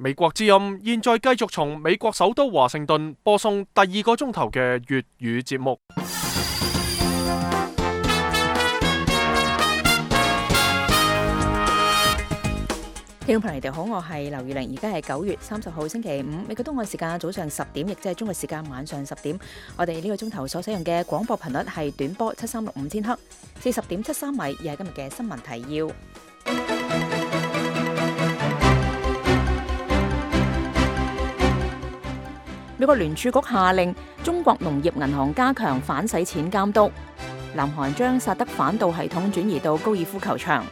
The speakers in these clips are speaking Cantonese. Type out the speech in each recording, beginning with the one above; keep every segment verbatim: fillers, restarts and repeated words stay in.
美國之音現在繼續從美國首都華盛頓播送第二個鐘頭嘅粵語節目。聽眾朋友，你哋好，我係劉月玲，而家係九月三十號星期五，美國東岸時間早上十點，亦即係中國時間晚上十點。我哋呢個鐘頭所使用嘅廣播頻率係短波七三六五千赫，四十點七三米，而係今日嘅新聞提要。美國聯儲局下令中國農業銀行加強反洗錢監督。南韓將薩德反導系統轉移到高爾夫球場。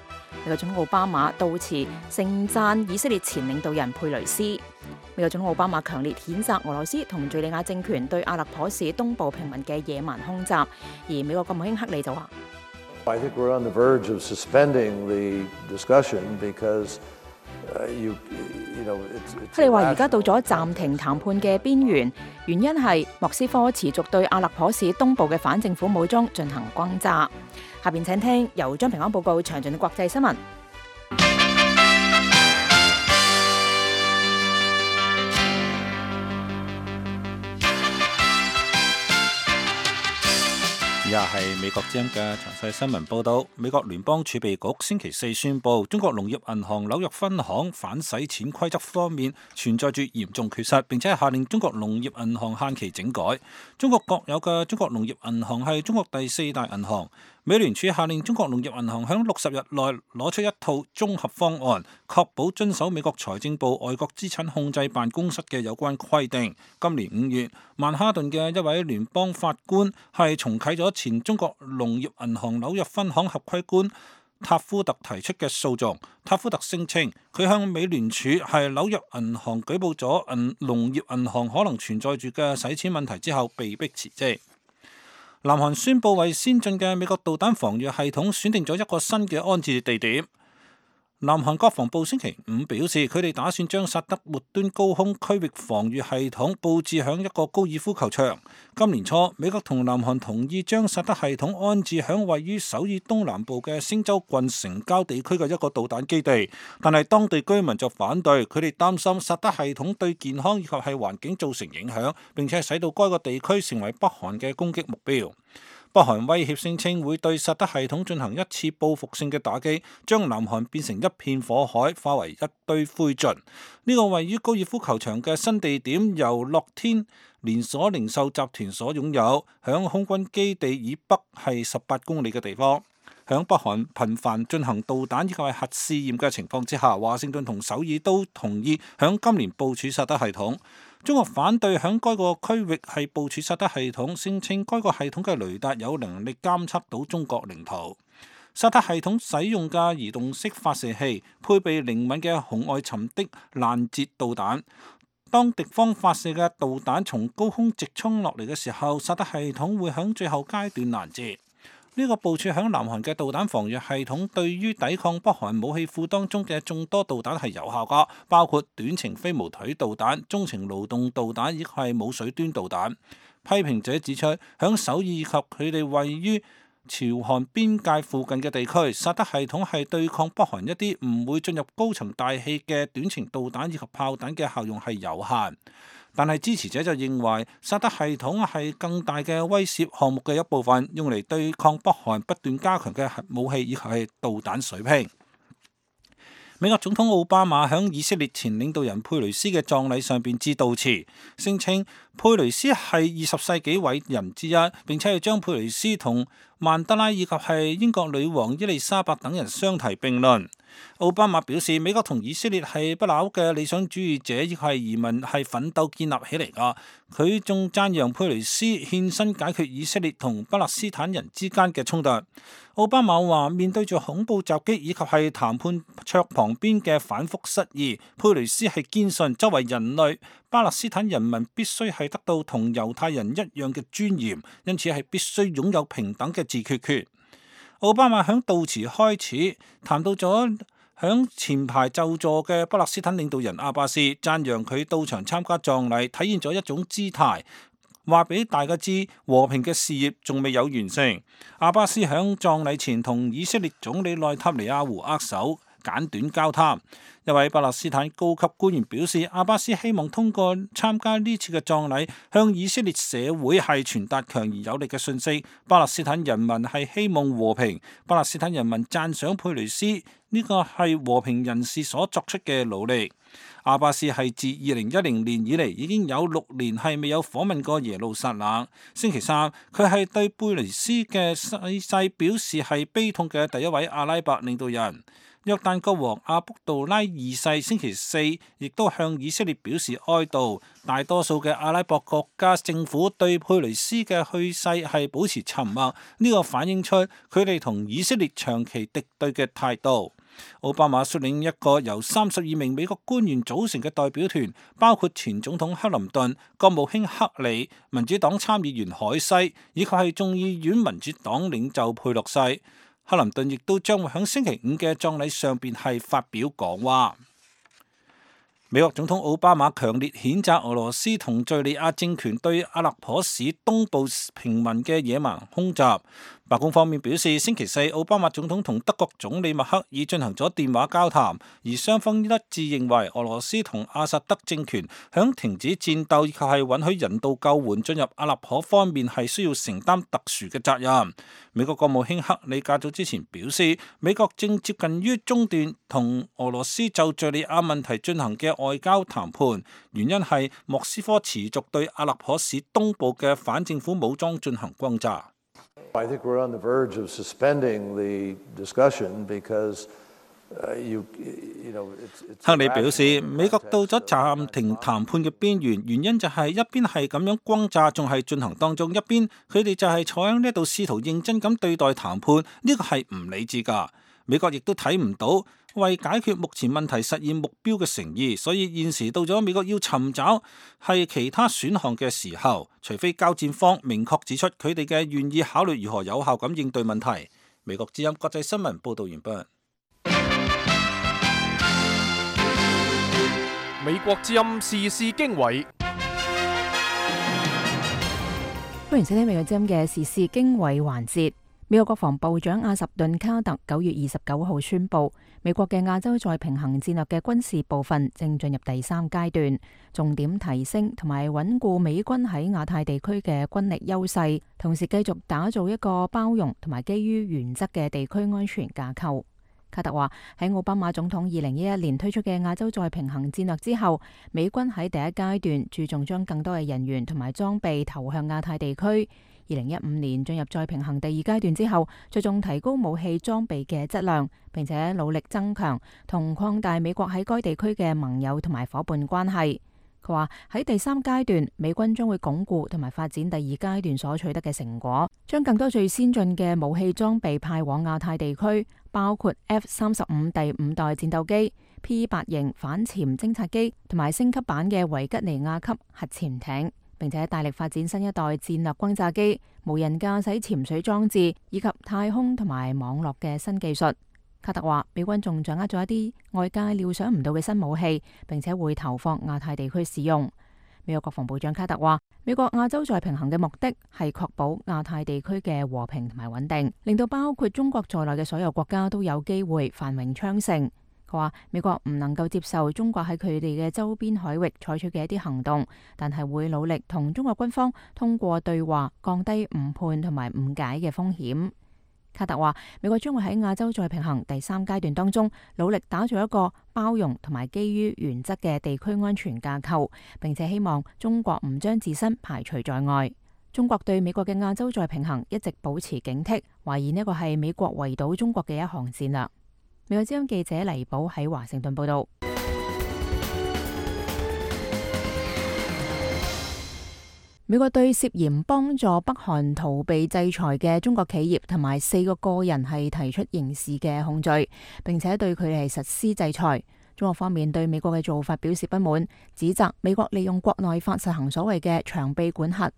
美國總統奧巴馬到辭盛讚以色列前領導人佩雷斯。美國總統奧巴馬強烈譴責俄羅斯同敘利亞政權對阿勒頗市東部平民嘅野蠻空襲。而美國國務卿克里就話：I think we're on the verge of suspending the discussion because you you know it's。克里話：而家到咗暫停談判嘅邊緣，原因係莫斯科持續對阿勒頗市東部嘅反政府武裝進行轟炸。下邊請聽由張平安報告詳盡嘅國際新聞。以下係美國之音嘅詳細新聞報道。美國聯邦儲備局星期四宣布，中國農業銀行紐約分行反洗錢規則方面存在住嚴重缺失，並且係下令中國農業銀行限期整改。中國國有嘅中國農業銀行係中國第四大銀行。美聯儲下令中國農業銀行喺六十日內攞出一套綜合方案，確保遵守美國財政部外國資產控制辦公室嘅有關規定。今年五月，曼哈頓嘅一位聯邦法官係重啟咗前中國農業銀行紐約分行合規官塔夫特提出嘅訴訟。塔夫特聲稱，佢向美聯儲係紐約銀行舉報咗銀農業銀行可能存在住嘅洗錢問題之後，被迫辭職。南韓宣布為先進嘅美國導彈防禦系統選定咗一個新嘅安置地點。南韓國防部星期五表示，佢哋打算將薩德末端高空區域防禦系統佈置響一個高爾夫球場。今年初，美國同南韓同意將薩德系統安置響位於首爾東南部嘅星州郡城郊地區嘅一個導彈基地，但係當地居民就反對，佢哋擔心薩德系統對健康以及係環境造成影響，並且使到該個地區成為北韓嘅攻擊目標。北韓威脅聲稱會對薩德系統進行一次報復性嘅打擊，將南韓變成一片火海，化為一堆灰燼。呢個位於高爾夫球場嘅新地點由樂天連鎖零售集團所擁有，響空軍基地以北係十八公里嘅地方。響北韓頻繁進行導彈以及係核試驗嘅情況之下，華盛頓同首爾都同意響今年部署薩德系統。中國反對響該個區域係部署薩德系統，聲稱該個系統嘅雷達有能力監測到中國領土。薩德系統使用嘅移動式發射器配備靈敏嘅紅外尋的攔截導彈，當敵方發射嘅導彈從高空直衝落嚟嘅時候，薩德系統會響最後階段攔截。呢個部署響南韓嘅導彈防禦系統對於抵抗北韓武器庫當中嘅眾多導彈係有效㗎，包括短程飛毛腿導彈、中程勞動導彈以及係冇水端導彈。批評者指出，響首爾以及佢哋位於朝韓邊界附近嘅地區，薩德系統係對抗北韓一啲唔會進入高層大氣嘅短程導彈以及炮彈嘅效用係有限。但係支持者就認為，薩德系統係更大嘅威懾項目嘅一部分，用嚟對抗北韓不斷加強嘅核武器以及係導彈水平。美國總統奧巴馬響以色列前領導人佩雷斯嘅葬禮上邊致悼詞，聲稱佩雷斯係二十世紀偉人之一，並且係將佩雷斯同曼德拉以及係英國女王伊麗莎白等人相提並論。奧巴馬表示，美國同以色列係不朽嘅理想主義者，亦係移民係奮鬥建立起嚟噶。佢仲讚揚佩雷斯獻身解決以色列同巴勒斯坦人之間嘅衝突。奧巴馬話：面對住恐怖襲擊以及係談判桌旁邊嘅反覆失意，佩雷斯係堅信作為人類，巴勒斯坦人民必須係得到同猶太人一樣嘅尊嚴，因此係必須擁有平等嘅自決權。奧巴馬響悼詞開始談到咗響前排就座嘅巴勒斯坦領導人阿巴斯，讚揚佢到場參加葬禮，體現咗一種姿態，話俾大家知和平嘅事業仲未有完成。阿巴斯響葬禮前同以色列總理內塔尼亞胡握手，簡短交談。一位巴勒斯坦高級官員表示，阿巴斯希望通過參加呢次嘅葬禮，向以色列社會係傳達強而有力嘅訊息。巴勒斯坦人民係希望和平，巴勒斯坦人民讚賞佩雷斯呢個係和平人士所作出嘅努力。阿巴斯係自二零一零年以嚟已經有六年係未有訪問過耶路撒冷。星期三，佢係對佩雷斯嘅逝世表示係悲痛嘅第一位阿拉伯領導人。約旦國王阿卜杜拉二世星期四亦都向以色列表示哀悼。大多數嘅阿拉伯國家政府對佩雷斯嘅去世係保持沉默，呢個反映出佢哋同以色列長期敵對嘅態度。奧巴馬率領一個由三十二名美國官員組成嘅代表團，包括前總統克林頓、國務卿克里、民主黨參議員海西，以及係眾議院民主黨領袖佩洛西。克林頓亦都將會喺星期五嘅葬禮上邊係發表講話。美國總統奧巴馬強烈譴責俄羅斯同敘利亞政權對阿勒頗市東部平民嘅野蠻空襲。白宮方面表示，星期四奧巴馬總統同德國總理默克爾進行咗電話交談，而雙方一致認為俄羅斯同阿薩德政權響停止戰鬥以及係允許人道救援進入阿勒頗方面係需要承擔特殊嘅責任。美國國務卿克里較早之前表示，美國正接近於中斷同俄羅斯就敘利亞問題進行嘅外交談判，原因係莫斯科持續對阿勒頗市東部嘅反政府武裝進行轟炸。I think we're on the verge of suspending the discussion because you you know it's it's 克里表示，美國到咗暫停談判嘅邊緣，原因就係一邊係咁樣轟炸，仲係進行當中，一邊佢哋就係坐喺呢度試圖認真咁對待談判，呢個係唔理智㗎。美國亦都睇唔到為解決目前問題實現目標嘅誠意，所以現時到咗美國要尋找係其他選項嘅時候，除非交戰方明確指出佢哋嘅願意考慮如何有效咁應對問題。美國之音國際新聞報道完畢。美國之音時事經緯，歡迎收聽美國之音嘅時事經緯環節。美國國防部長阿什頓卡特九月二十九號宣布，美國嘅亞洲再平衡戰略嘅軍事部分正進入第三階段，重點提升同埋穩固美軍喺亞太地區嘅軍力優勢，同時繼續打造一個包容同埋基於原則嘅地區安全架構。卡特話喺奧巴馬總統二零一一年推出嘅亞洲再平衡戰略之後，美軍喺第一階段注重將更多嘅人員同埋裝備投向亞太地區。二零一五年進入再平衡第二階段之後，着重提高武器裝備嘅質量，並且努力增強同擴大美國喺該地區嘅盟友同埋夥伴關係。佢話喺第三階段，美軍將會鞏固同埋發展第二階段所取得嘅成果，將更多最先進嘅武器裝備派往亞太地區，包括 F 三十五第五代戰鬥機、P 八型反潛偵察機同埋升級版嘅維吉尼亞級核潛艇，並且大力發展新一代戰略轟炸機、無人駕駛潛水裝置以及太空同埋網絡嘅新技術。卡特話，美軍仲掌握咗一啲外界料想唔到嘅新武器，並且會投放亞太地區使用。美國國防部長卡特話，美國亞洲再平衡嘅目的係確保亞太地區嘅和平同埋穩定，令到包括中國在內嘅所有國家都有機會繁榮昌盛。佢話美國唔能夠接受中國喺佢哋嘅周邊海域採取嘅一啲行動，但係會努力同中國軍方通過對話降低誤判同埋誤解嘅風險。卡特話，美國將會喺亞洲再平衡第三階段當中努力打造一個包容同埋基於原則嘅地區安全架構，並且希望中國唔將自身排除在外。中國對美國嘅亞洲再平衡一直保持警惕，懷疑呢個係美國圍堵中國嘅一項戰略。美國之音記者黎寶喺華盛頓報道。美國對涉嫌幫助北韓逃避制裁嘅中國企業同埋四個個人係提出刑事嘅控罪，並且對佢哋係實施制裁。中國方面對美國嘅做法表示不滿，指責美國利用國內法實行所謂嘅長臂管轄。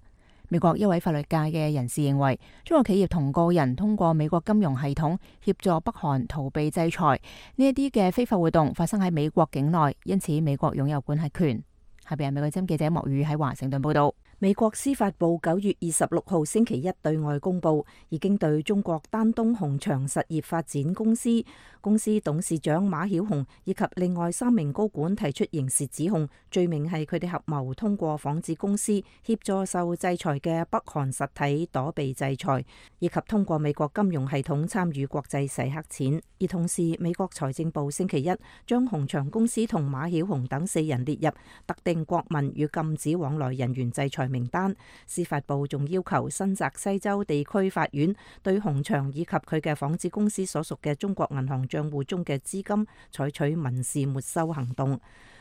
美國一位法律界嘅人士認為，中國企業同個人通過美國金融系統協助北韓逃避制裁，呢一啲嘅非法活動發生喺美國境內，因此美國擁有管轄權。下邊係美國之音記者莫宇喺華盛頓報道。美國司法部九月二十六號星期一對外公佈，已經對中國丹東紅場實業發展公司公司董事長馬曉紅以及另外三名高管提出刑事指控，罪名係佢哋合謀通過仿製公司協助受制裁嘅北韓實體躲避制裁，以及通過美國金融系統參與國際洗黑錢。而同時，美國財政部星期一將紅場公司同馬曉紅等四人列入特定國民與禁止往來人員制裁名單。司法部仲要求新澤西州地區法院對紅場以及佢嘅仿製公司所屬嘅中國銀行賬戶中嘅資金採取民事沒收行動。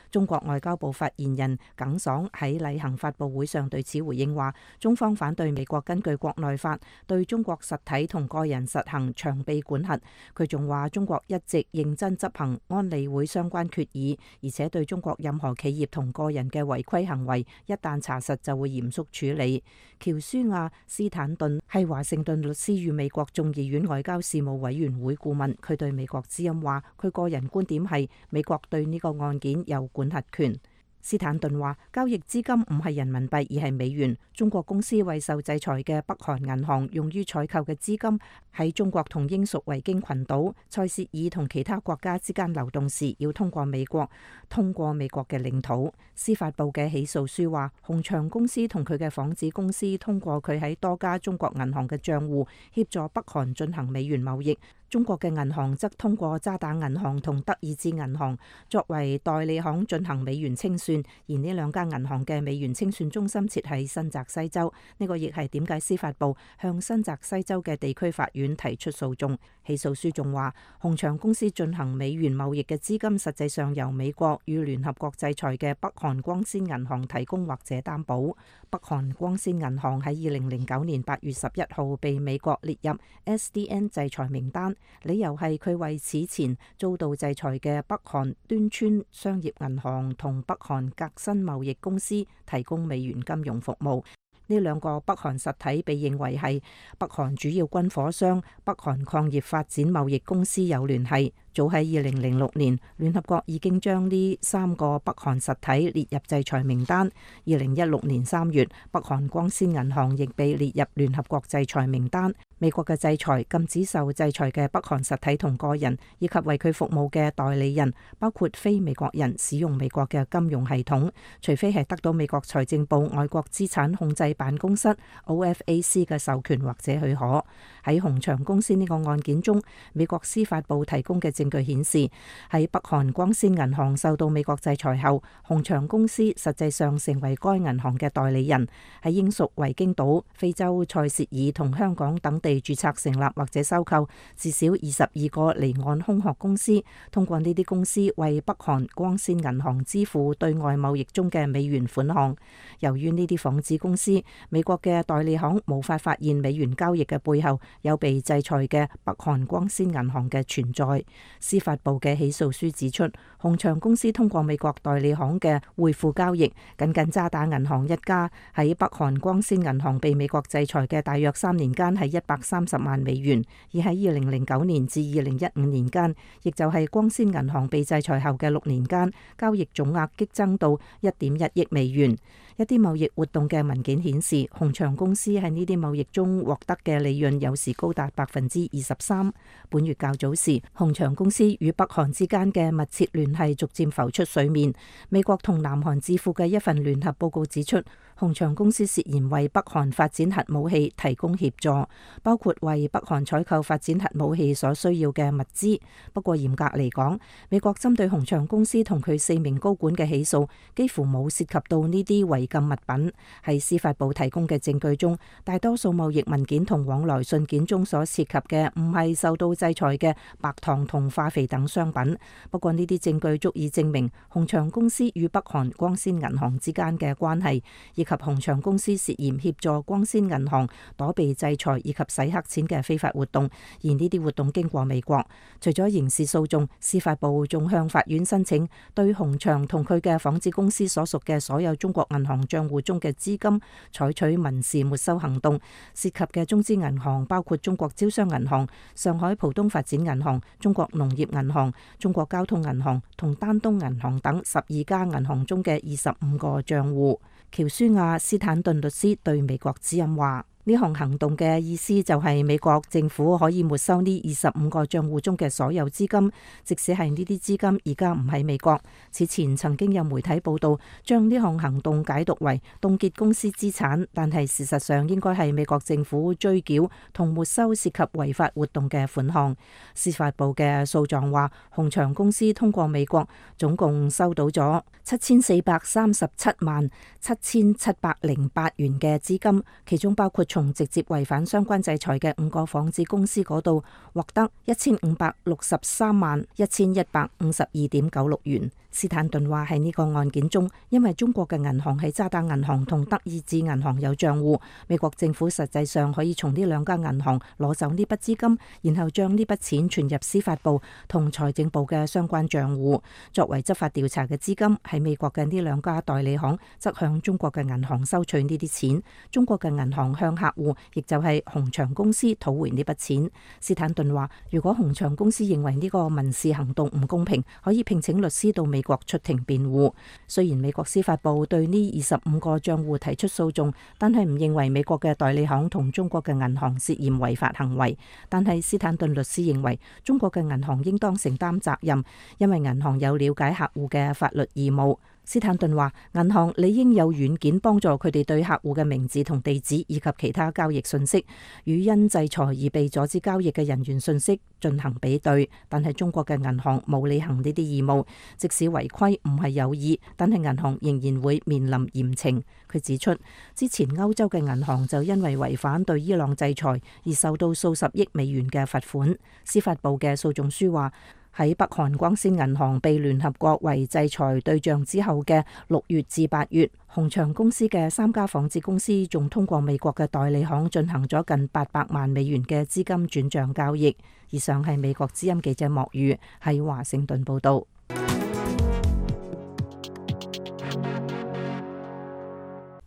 中國外交部發言人耿爽喺例行發佈會上對此回應話，中方反對美國根據國內法對中國實體同個人實行長臂管轄。佢仲話，中國一直認真執行安理會相關決議，而且對中國任何企業同個人嘅違規行為，一旦查實就會嚴肅處理。喬舒亞·斯坦頓係華盛頓律師與美國眾議院外交事務委員會顧問，佢對美國之音話，佢個人觀點係美國對呢個案件有管轄權。斯坦頓話，交易資金唔係人民幣而係美元。中國公司為受制裁嘅北韓銀行用於採購嘅資金喺中國同英屬維京群島、塞舌爾同其他國家之間流動時，要通過美國，通過美國嘅領土。司法部嘅起訴書話，紅場公司同佢嘅仿製公司通過佢喺多家中國銀行嘅賬戶協助北韓進行美元貿易。中國嘅銀行則通過渣打銀行同德意志銀行作為代理行進行美元清算，而呢兩家銀行嘅美元清算中心設喺新澤西州。呢個亦係點解司法部向新澤西州嘅地區法院提出訴訟。起訴書仲話，紅場公司進行美元貿易嘅資金實際上由美國與聯合國制裁嘅北韓光鮮銀行提供或者擔保。北韓光鮮銀行喺二零零九年八月十一號被美國列入 S D N 制裁名單，理由係佢為此前遭到制裁嘅北韓端川商業銀行同北韓革新貿易公司提供美元金融服務。呢兩個北韓實體被認為係北韓主要軍火商北韓礦業發展貿易公司有聯繫。早喺二零零六年，聯合國已經將呢三個北韓實體列入制裁名單。二零一六年三月，北韓光鮮銀行亦被列入聯合國制裁名單。美國嘅制裁禁止受制裁嘅北韓實體同個人，以及為佢服務嘅代理人，包括非美國人使用美國嘅金融系統，除非係得到美國財政部外國資產控制辦公室 O F A C 嘅授權或者許可。喺紅場公司呢個案件中，美國司法部提供嘅證據顯示，喺北韓光鮮銀行受到美國制裁後，紅場公司實際上成為該銀行嘅代理人，喺英屬維京島、非洲塞舌爾同香港等地註冊成立或者收購至少二十二個離岸空殼公司，通過呢啲公司為北韓光鮮銀行支付對外貿易中嘅美元款項。由於呢啲仿製公司，美國嘅代理行無法發現美元交易嘅背後有被制裁嘅北韓光鮮銀行嘅存在。司法部嘅起訴書指出，紅場公司通過美國代理行嘅匯付交易，僅僅渣打銀行一家喺北韓光鮮銀行被美國制裁嘅大約三年間係一百三十萬美元，而喺二零零九年至二零一五年間，亦就係光鮮銀行被制裁後嘅六年間，交易總額激增到一點一億美元。一啲貿易活動嘅文件顯示，紅場公司喺呢啲貿易中獲得嘅利潤有時高達百分之二十三。本月較早時，紅場公司與北韓之間嘅密切聯繫逐漸浮出水面。美國同南韓智庫嘅一份聯合報告指出，紅場公司涉嫌為北韓發展核武器提供協助，包括為北韓採購發展核武器所需要嘅物資。不過嚴格嚟講，美國針對紅場公司同佢四名高管嘅起訴幾乎冇涉及到呢啲違禁物品。喺司法部提供嘅證據中，大多數貿易文件同往來信件中所涉及嘅唔係受到制裁嘅白糖同化肥等商品。不過呢啲證據足以證明紅場公司與北韓光鮮銀行之間嘅關係，以及紅場公司涉嫌協助光鮮銀行躲避制裁以及洗黑錢嘅非法活動，而呢啲活動經過美國。除咗刑事訴訟，司法部仲向法院申請對鴻祥同佢嘅紡織公司所屬嘅所有中國銀行賬戶中嘅資金採取民事沒收行動，涉及嘅中資銀行包括中國招商銀行、上海浦東發展銀行、中國農業銀行、中國交通銀行同丹東銀行等十二家銀行中嘅二十五個賬戶。喬舒亞斯坦頓律師對美國之音話：呢項行動嘅意思就係美國政府可以沒收呢二十五個賬戶中嘅所有資金，即使係呢啲資金而家唔喺美國。此前曾經有媒體報道將呢項行動解讀為凍結公司資產，但係事實上應該係美國政府追繳同沒收涉及違法活動嘅款項。司法部嘅訴狀話，鴻祥公司通過美國總共收到咗七千四百三十七萬七千七百零八元嘅資金，其中包括從直接違反相關制裁嘅五個紡織公司嗰度獲得一千五百六十三萬一千一百五十二點九六元。斯坦頓話喺呢個案件中，因為中國嘅銀行喺渣打銀行同德意志銀行有賬戶，美國政府實際上可以從呢兩家銀行攞走呢筆資金，然後將呢筆錢存入司法部同財政部嘅相關賬戶，作為執法調查嘅資金。喺美國嘅呢兩家代理行則向中國嘅銀行收取呢啲錢，中國嘅銀行向客戶，亦就係鴻祥公司討回呢筆錢。斯坦頓話，如果鴻祥公司認為呢個民事行動唔公平，可以聘請律師到美國出庭辯護。雖然美國司法部對呢二十五個賬戶提出訴訟，但係唔認為美國嘅代理行同中國嘅銀行涉嫌違法行為。但係斯坦頓律師認為，中國嘅銀行應當承擔責任，因為銀行有了解客戶嘅法律義務。斯坦頓話，銀行理應有軟件幫助佢哋對客戶嘅名字同地址以及其他交易信息與因制裁而被阻止交易嘅人員信息進行比對。但係中國嘅銀行冇履行呢啲義務，即使違規唔係有意，但係銀行仍然會面臨嚴懲。佢指出，之前歐洲嘅銀行就因為違反對伊朗制裁而受到數十億美元嘅罰款。司法部嘅訴訟書話，喺北韓光鮮銀行被聯合國為制裁對象之後嘅六月至八月，鴻祥公司嘅三家紡織公司仲通過美國嘅代理行進行咗近八百萬美元嘅資金轉賬交易。以上係美國之音記者莫宇喺華盛頓報道。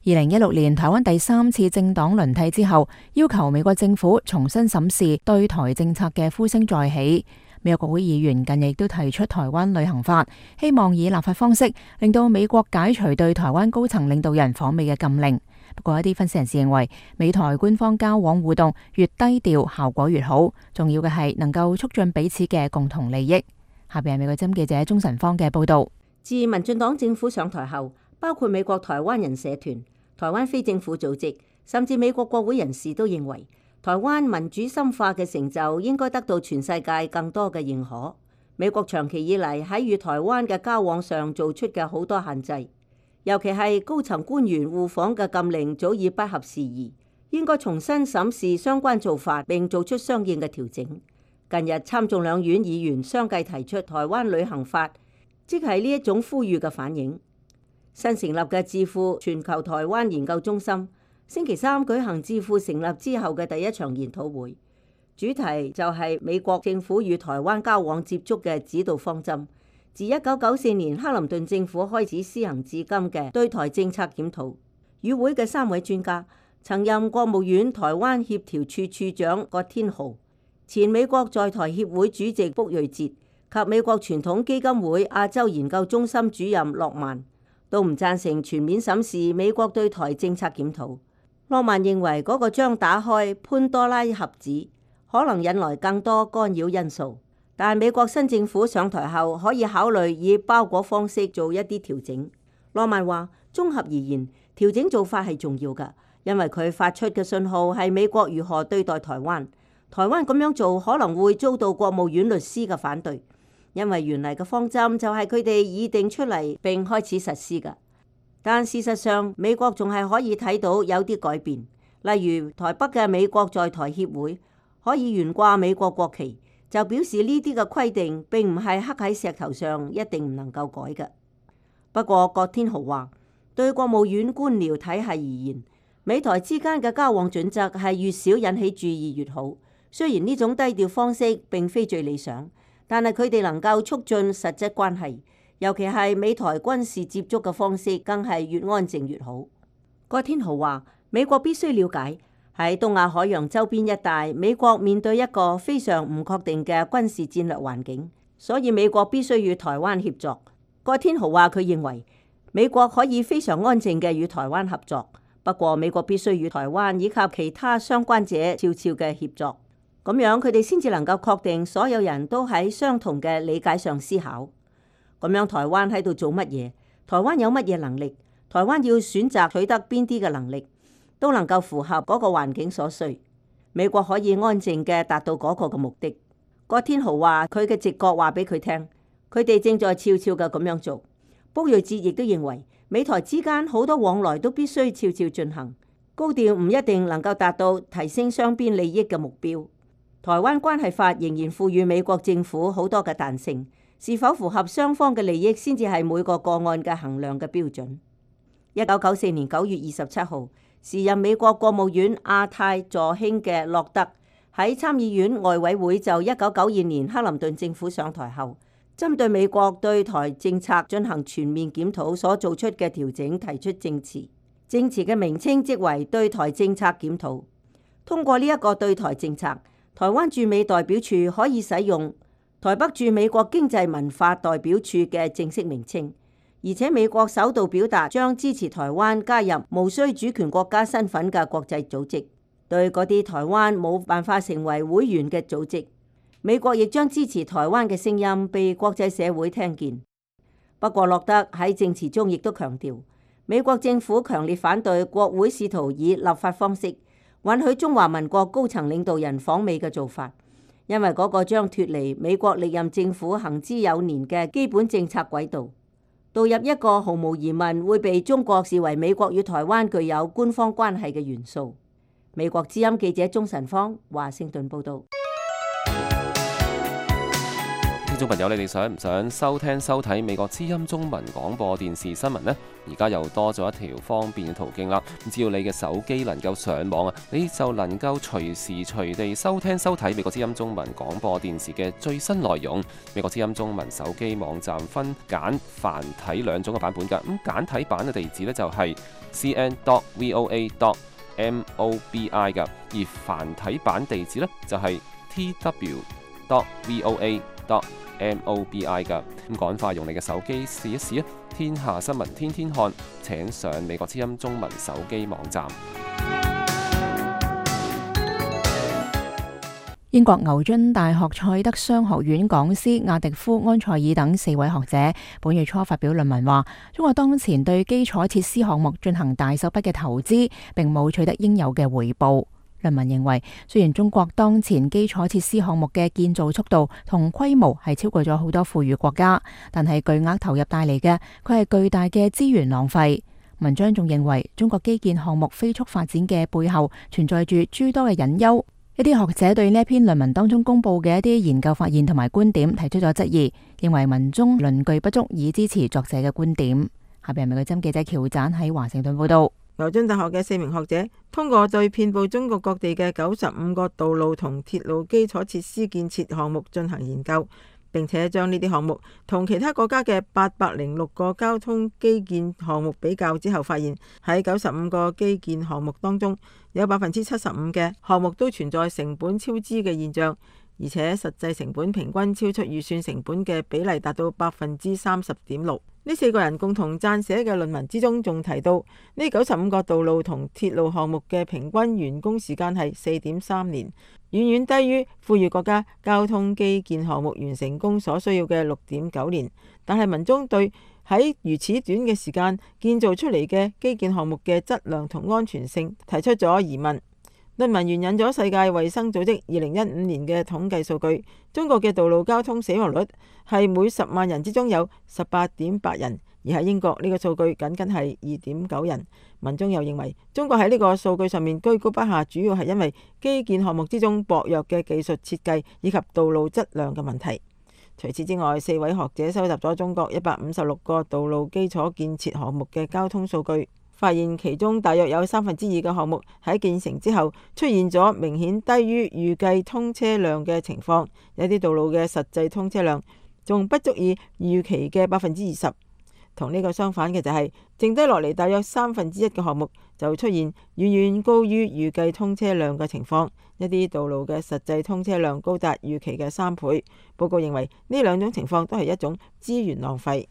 二零一六年台灣第三次政黨輪替之後，要求美國政府重新審視對台政策嘅呼聲再起。美國國會議員近日亦都提出台灣旅行法，希望以立法方式令到美國解除對台灣高層領導人訪美嘅禁令。不過一啲分析人士認為，美台官方交往互動越低調，效果越好。重要嘅係能夠促進彼此嘅共同利益。下邊係美國之音記者鍾晨芳嘅報道。自民進黨政府上台後，包括美國台灣人社團、台灣非政府組織，甚至美國國會人士都認為，台灣民主深化嘅成就應該得到全世界更多嘅認可。美國長期以嚟喺與台灣嘅交往上做出嘅好多限制，尤其係高層官員互訪嘅禁令早已不合時宜，應該重新審視相關做法並做出相應嘅調整。近日參眾兩院議員相繼提出台灣旅行法，即係呢一種呼籲嘅反應。新成立嘅智庫全球台灣研究中心星期三舉行智庫成立之後嘅第一場研討會，主題就係美國政府與台灣交往接觸嘅指導方針，自一九九四年克林頓政府開始施行至今嘅對台政策檢討。與會嘅三位專家，曾任國務院台灣協調處處長葛天豪、前美國在台協會主席卜瑞哲及美國傳統基金會亞洲研究中心主任諾曼，都唔贊成全面審視美國對台政策檢討。諾曼認為嗰個將打開潘多拉盒子，可能引來更多干擾因素。但美國新政府上台後，可以考慮以包裹方式做一啲調整。諾曼話：綜合而言，調整做法係重要㗎，因為佢發出嘅信號係美國如何對待台灣。台灣咁樣做可能會遭到國務院律師嘅反對，因為原嚟嘅方針就係佢哋擬定出嚟並開始實施㗎。但事實上，美國仲係可以睇到有啲改變，例如台北嘅美國在台協會可以懸掛美國國旗，就表示呢啲嘅規定並唔係刻喺石頭上，一定唔能夠改嘅。不過葛天豪話，對國務院官僚體系而言，美台之間嘅交往準則係越少引起注意越好。雖然呢種低調方式並非最理想，但係佢哋能夠促進實質關係，尤其係美台軍事接觸嘅方式，更係越安靜越好。葛天豪話：美國必須了解喺東亞海洋周邊一帶，美國面對一個非常唔確定嘅軍事戰略環境，所以美國必須與台灣協作。葛天豪話：佢認為美國可以非常安靜嘅與台灣合作，不過美國必須與台灣以及其他相關者悄悄嘅協作，咁樣佢哋先至能夠確定所有人都喺相同嘅理解上思考。咁樣台灣喺度做乜嘢？台灣有乜嘢能力？台灣要選擇取得邊啲嘅能力，都能夠符合嗰個環境所需。美國可以安靜嘅達到嗰個嘅目的。葛天豪話：佢嘅直覺話俾佢聽，佢哋正在悄悄嘅咁樣做。卜睿哲亦都認為，美台之間好多往來都必須悄悄進行，高調唔一定能夠達到提升雙邊利益嘅目標。台灣關係法仍然賦予美國政府好多嘅彈性，是否符合雙方嘅利益先至係每個個案嘅衡量嘅標準。一九九四年九月二十七號，時任美國國務院亞太助卿嘅洛德喺參議院外委會就一九九二年克林頓政府上台後，針對美國對台政策進行全面檢討所做出嘅調整提出證詞，證詞嘅名稱即為對台政策檢討。通過呢一個對台政策，台灣駐美代表處可以使用台北駐美國經濟文化代表處嘅正式名稱，而且美國首度表達將支持台灣加入無需主權國家身份嘅國際組織。對嗰啲台灣冇辦法成為會員嘅組織，美國亦將支持台灣嘅聲音被國際社會聽見。不過洛德喺證詞中亦都強調，美國政府強烈反對國會試圖以立法方式允許中華民國高層領導人訪美嘅做法，因為嗰個將脫離美國歷任政府行之有年嘅基本政策軌道，導入一個毫無疑問會被中國視為美國與台灣具有官方關係嘅元素。美國之音記者鍾晨芳華盛頓報道。聽眾朋友，你哋想唔想收聽收睇美國之音中文廣播電視新聞呢？而家又多咗一條方便嘅途徑啦。只要你嘅手機能夠上網啊，你就能夠隨時隨地收聽收睇美國之音中文廣播電視嘅最新內容。美國之音中文手機網站分簡繁體兩種嘅版本㗎。咁簡體版嘅地址呢，就係 c n dot voa dot mobi 㗎，而繁體版地址呢，就係 t w dot voa dot mobi 㗎。咁趕快用你嘅手機試一試啊！天下新聞天天看，請上美國之音中文手機網站。英國牛津大學塞德商學院講師亞迪夫安塞爾等四位學者本月初發表論文話，中國當前對基礎設施項目進行大手筆嘅投資，並冇取得應有嘅回報。論文認為，雖然中國當前基礎設施項目嘅建造速度同規模係超過咗好多富裕國家，但係巨額投入帶嚟嘅，佢係巨大嘅資源浪費。文章仲認為，中國基建項目飛速發展嘅背後存在住諸多嘅隱憂。一啲學者對呢一篇論文當中公布嘅一啲研究發現同埋觀點提出咗質疑，認為文中論據不足以支持作者嘅觀點。下邊係美國之音記者喬展喺華盛頓報道。牛津大學嘅四名學者通過對遍佈中國各地嘅九十五個道路同鐵路基礎設施建設項目進行研究，並且將呢啲項目同其他國家嘅八百零六個交通基建項目比較之後，發現喺九十五個基建項目當中，有百分之七十五嘅項目都存在成本超支嘅現象，而且實際成本平均超出預算成本嘅比例達到百分之三十點六。呢四個人共同撰寫嘅論文之中，仲提到呢九十五個道路同鐵路項目嘅平均完工時間係四點三年，遠遠低於富裕國家交通基建項目完成工所需要嘅六點九年。但係文中對喺如此短嘅時間建造出嚟嘅基建項目嘅質量同安全性提出咗疑問。論文援引咗世界衛生組織二零一五年嘅統計數據，中國嘅道路交通死亡率係每十萬人之中有十八點八人，而喺英國呢個數據僅僅係二點九人。文中又認為中國喺呢個數據上面居高不下，主要係因為基建項目之中薄弱嘅技術設計以及道路質量嘅問題。除此之外，四位學者收集咗中國一百五十六個道路基礎建設項目嘅交通數據，發現其中大約有三分之二嘅項目喺建成之後出現咗明顯低於預計通車量嘅情況，有啲道路嘅實際通車量仲不足以預期嘅百分之二十。同呢個相反嘅就係、是，剩低落嚟大約三分之一嘅項目就出現遠遠高於預計通車量嘅情況，一啲道路嘅實際通車量高達預期嘅三倍。報告認為呢兩種情況都係一種資源浪費。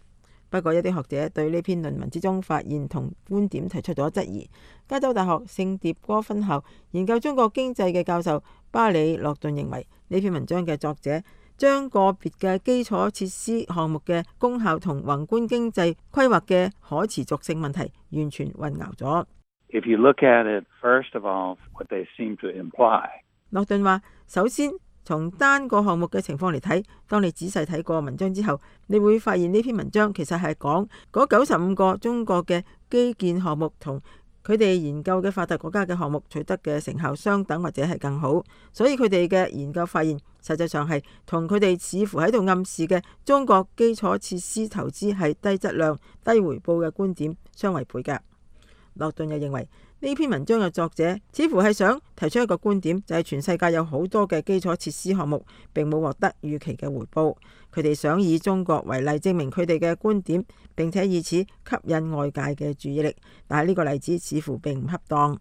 不過一啲學者對呢篇論文之中發現同觀點提出咗質疑。加州大學聖迭戈分校研究中國經濟嘅教授巴里洛頓認為，呢篇文章嘅作者將個別嘅基礎設施項目嘅功效同宏觀經濟規劃嘅可持續性問題完全混淆咗。If you look at it, first of all, what they seem to imply. 洛頓話：首先從單個項目嘅情況嚟睇，當你仔細睇過文章之後，你會發現呢篇文章其實係講嗰九十五個中國嘅基建項目同佢哋研究嘅發達國家嘅項目取得嘅成效相等或者係更好，所以佢哋嘅研究發現實際上係同佢哋似乎喺度暗示嘅中國基礎設施投資係低質量、低回報嘅觀點相違背嘅。洛頓又認為呢篇文章嘅作者似乎係想提出一個觀點，就係全世界有好多嘅基礎設施項目並冇獲得預期嘅回報，佢哋想以中國為例證明佢哋嘅觀點，並且以此吸引外界嘅注意力，但係呢個例子似乎並唔恰當。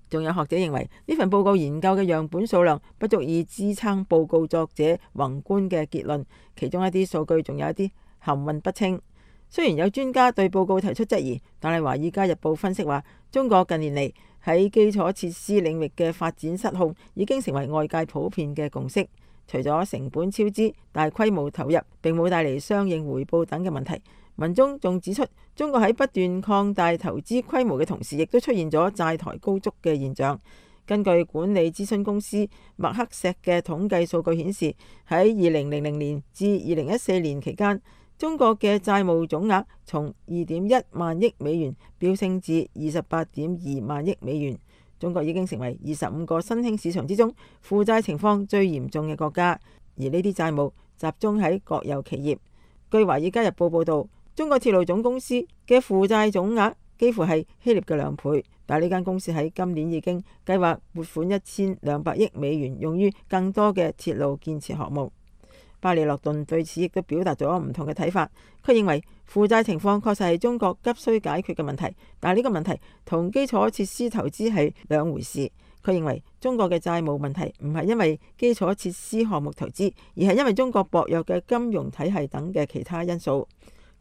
仲有學者認為呢份報告研究嘅樣本數量不足以支撐報告作者宏觀嘅結論，其中一啲數據仲有一啲含混不清。雖然有專家對報告提出質疑，但係《華爾街日報》分析話，中國近年嚟喺基礎設施領域嘅發展失控已經成為外界普遍嘅共識。除咗成本超支、大規模投入並冇帶嚟相應回報等嘅問題，文中仲指出，中國喺不斷擴大投資規模嘅同時，亦都出現咗債台高築嘅現象。根據管理諮詢公司麥克錫嘅統計數據顯示，喺二零零零年至二零一四年期間，中國嘅債務總額從二點一萬億美元飆升至二十八點二萬億美元。中國已經成為二十五個新興市場之中負債情況最嚴重嘅國家，而呢啲債務集中喺國有企業。據《華爾街日報》報導，中國鐵路總公司嘅負債總額幾乎係希臘嘅兩倍，但係呢間公司喺今年已經計劃撥款一千兩百億美元用於更多嘅鐵路建設項目。巴里洛頓對此亦都表達咗唔同嘅睇法。佢認為負債情況確實係中國急需解決嘅問題，但係呢個問題同基礎設施投資係兩回事。佢認為中國嘅債務問題唔係因為基礎設施項目投資，而係因為中國薄弱嘅金融體系等嘅其他因素。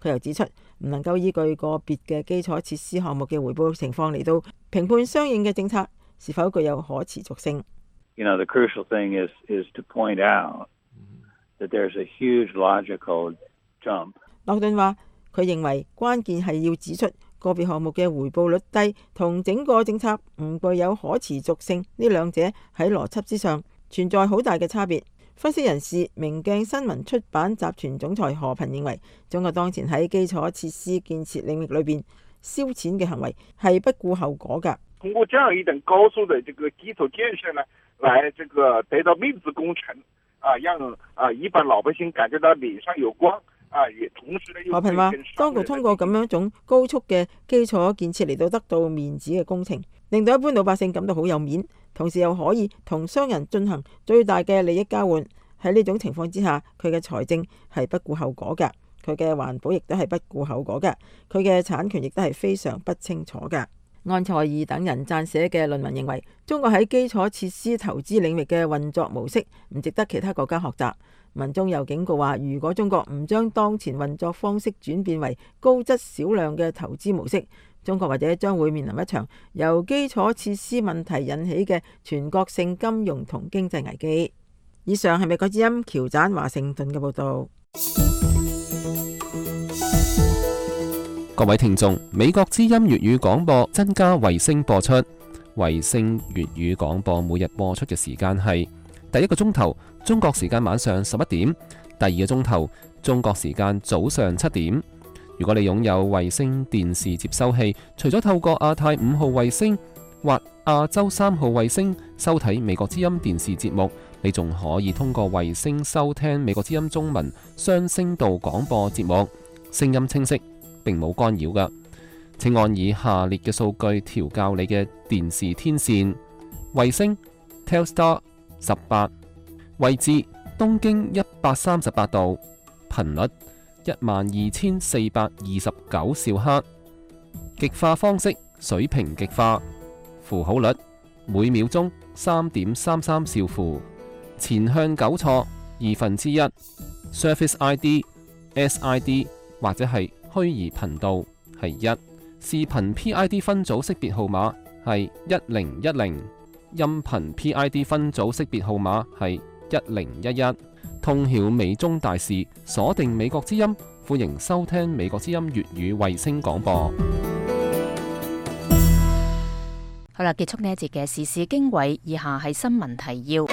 佢又指出，唔能夠依據個別嘅基礎設施項目嘅回報情況嚟到評判相應嘅政策是否具有可持續性。You know, the crucial thing is, is to point out that there's a huge logical jump. 洛頓話：佢認為關鍵係要指出個別項目嘅回報率低同整個政策唔具有可持續性呢兩者喺邏輯之上存在好大嘅差別。分析人士明鏡新聞出版集團總裁何平認為，中國當前喺基礎設施建設領域裏邊燒錢嘅行為係不顧後果㗎。通過這樣一等高速的這個基礎建設呢，來這個得到面子工程。啊，讓啊一般老百姓感覺到臉上有光啊，也同時呢。何平話，當局通過咁樣一種高速嘅基礎建設嚟到得到面子嘅工程，令到一般老百姓感到好有面，同時又可以同商人進行最大嘅利益交換。喺呢種情況之下，佢嘅財政係不顧後果㗎，佢嘅環保亦都係不顧後果㗎，佢嘅產權亦都係非常不清楚㗎。安塞爾等人撰寫嘅論文認為，中國喺基礎設施投資領域嘅運作模式唔值得其他國家學習。文中又警告話，如果中國唔將當前運作方式轉變為高質少量嘅投資模式，中國或者將會面臨一場由基礎設施問題引起嘅全國性金融同經濟危機。以上係美國之音喬盞華盛頓嘅報道。各位聽眾，美國之音粵語廣播增加衛星播出。衛星粵語廣播每日播出嘅時間係第一個鐘頭中國時間晚上十一點，第二個鐘頭中國時間早上七點。如果你擁有衛星電視接收器，除咗透過亞太五號衛星或亞洲三號衛星收睇美國之音電視節目，你仲可以通過衛星收聽美國之音中文雙聲道廣播節目，聲音清晰，並冇干擾㗎。請按以下列嘅數據調校你嘅電視天線：衛星 Telstar 十八，位置東經一百三十八度，頻率一萬二千四百二十九兆赫，極化方式水平極化，符號率每秒鐘三點三三兆符，前向糾錯二分之一 ，Service I D S I D 或者係虛擬頻道係一，視頻 P I D 分組識別號碼係一零一零，音頻 P I D 分組識別號碼係一零一一。通曉美中大事，鎖定美國之音，歡迎收聽美國之音粵語衛星廣播。好啦，結束呢一節嘅時事經緯，以下係新聞提要。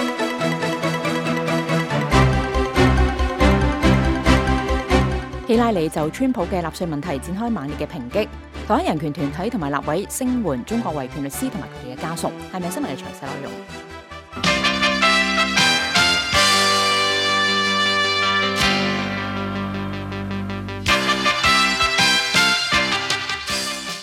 希拉里就川普嘅納稅問題展開猛烈嘅抨擊，台灣人權團體同埋立委聲援中國維權律師同埋佢哋嘅家屬。係咪新聞嘅詳細內容？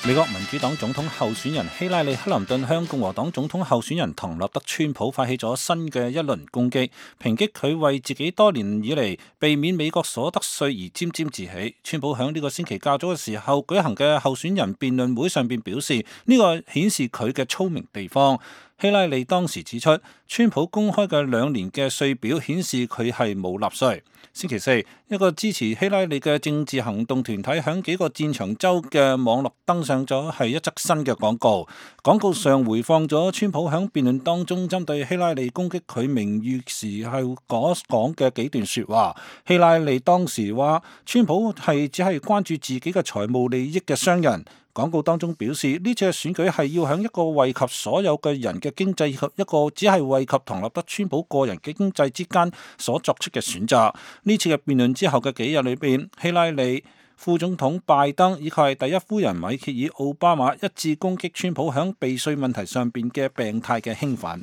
美國民主黨總統候選人希拉里克林頓向共和黨總統候選人唐納德川普發起咗新嘅一輪攻擊，抨擊佢為自己多年以嚟避免美國所得稅而沾沾自喜。川普響呢個星期較早嘅時候舉行嘅候選人辯論會上邊表示，呢個顯示佢嘅聰明地方。希拉里當時指出，川普公開嘅兩年嘅稅表顯示佢係冇納稅。星期四，一個支持希拉里嘅政治行動團體響幾個戰場州嘅網絡登上咗係一則新嘅廣告，廣告上回放咗川普響辯論當中針對希拉里攻擊佢名譽時候所講嘅幾段說話。希拉里當時話，川普係只係關注自己嘅財務利益嘅商人。廣告當中表示，呢次嘅選舉係要喺一個惠及所有嘅人嘅經濟以及一個只係惠及唐納德川普個人嘅經濟之間所作出嘅選擇。呢次嘅辯論之後嘅幾日裏邊，希拉里、副總統拜登以及係第一夫人米歇爾奧巴馬一致攻擊川普響避稅問題上邊嘅病態嘅興奮。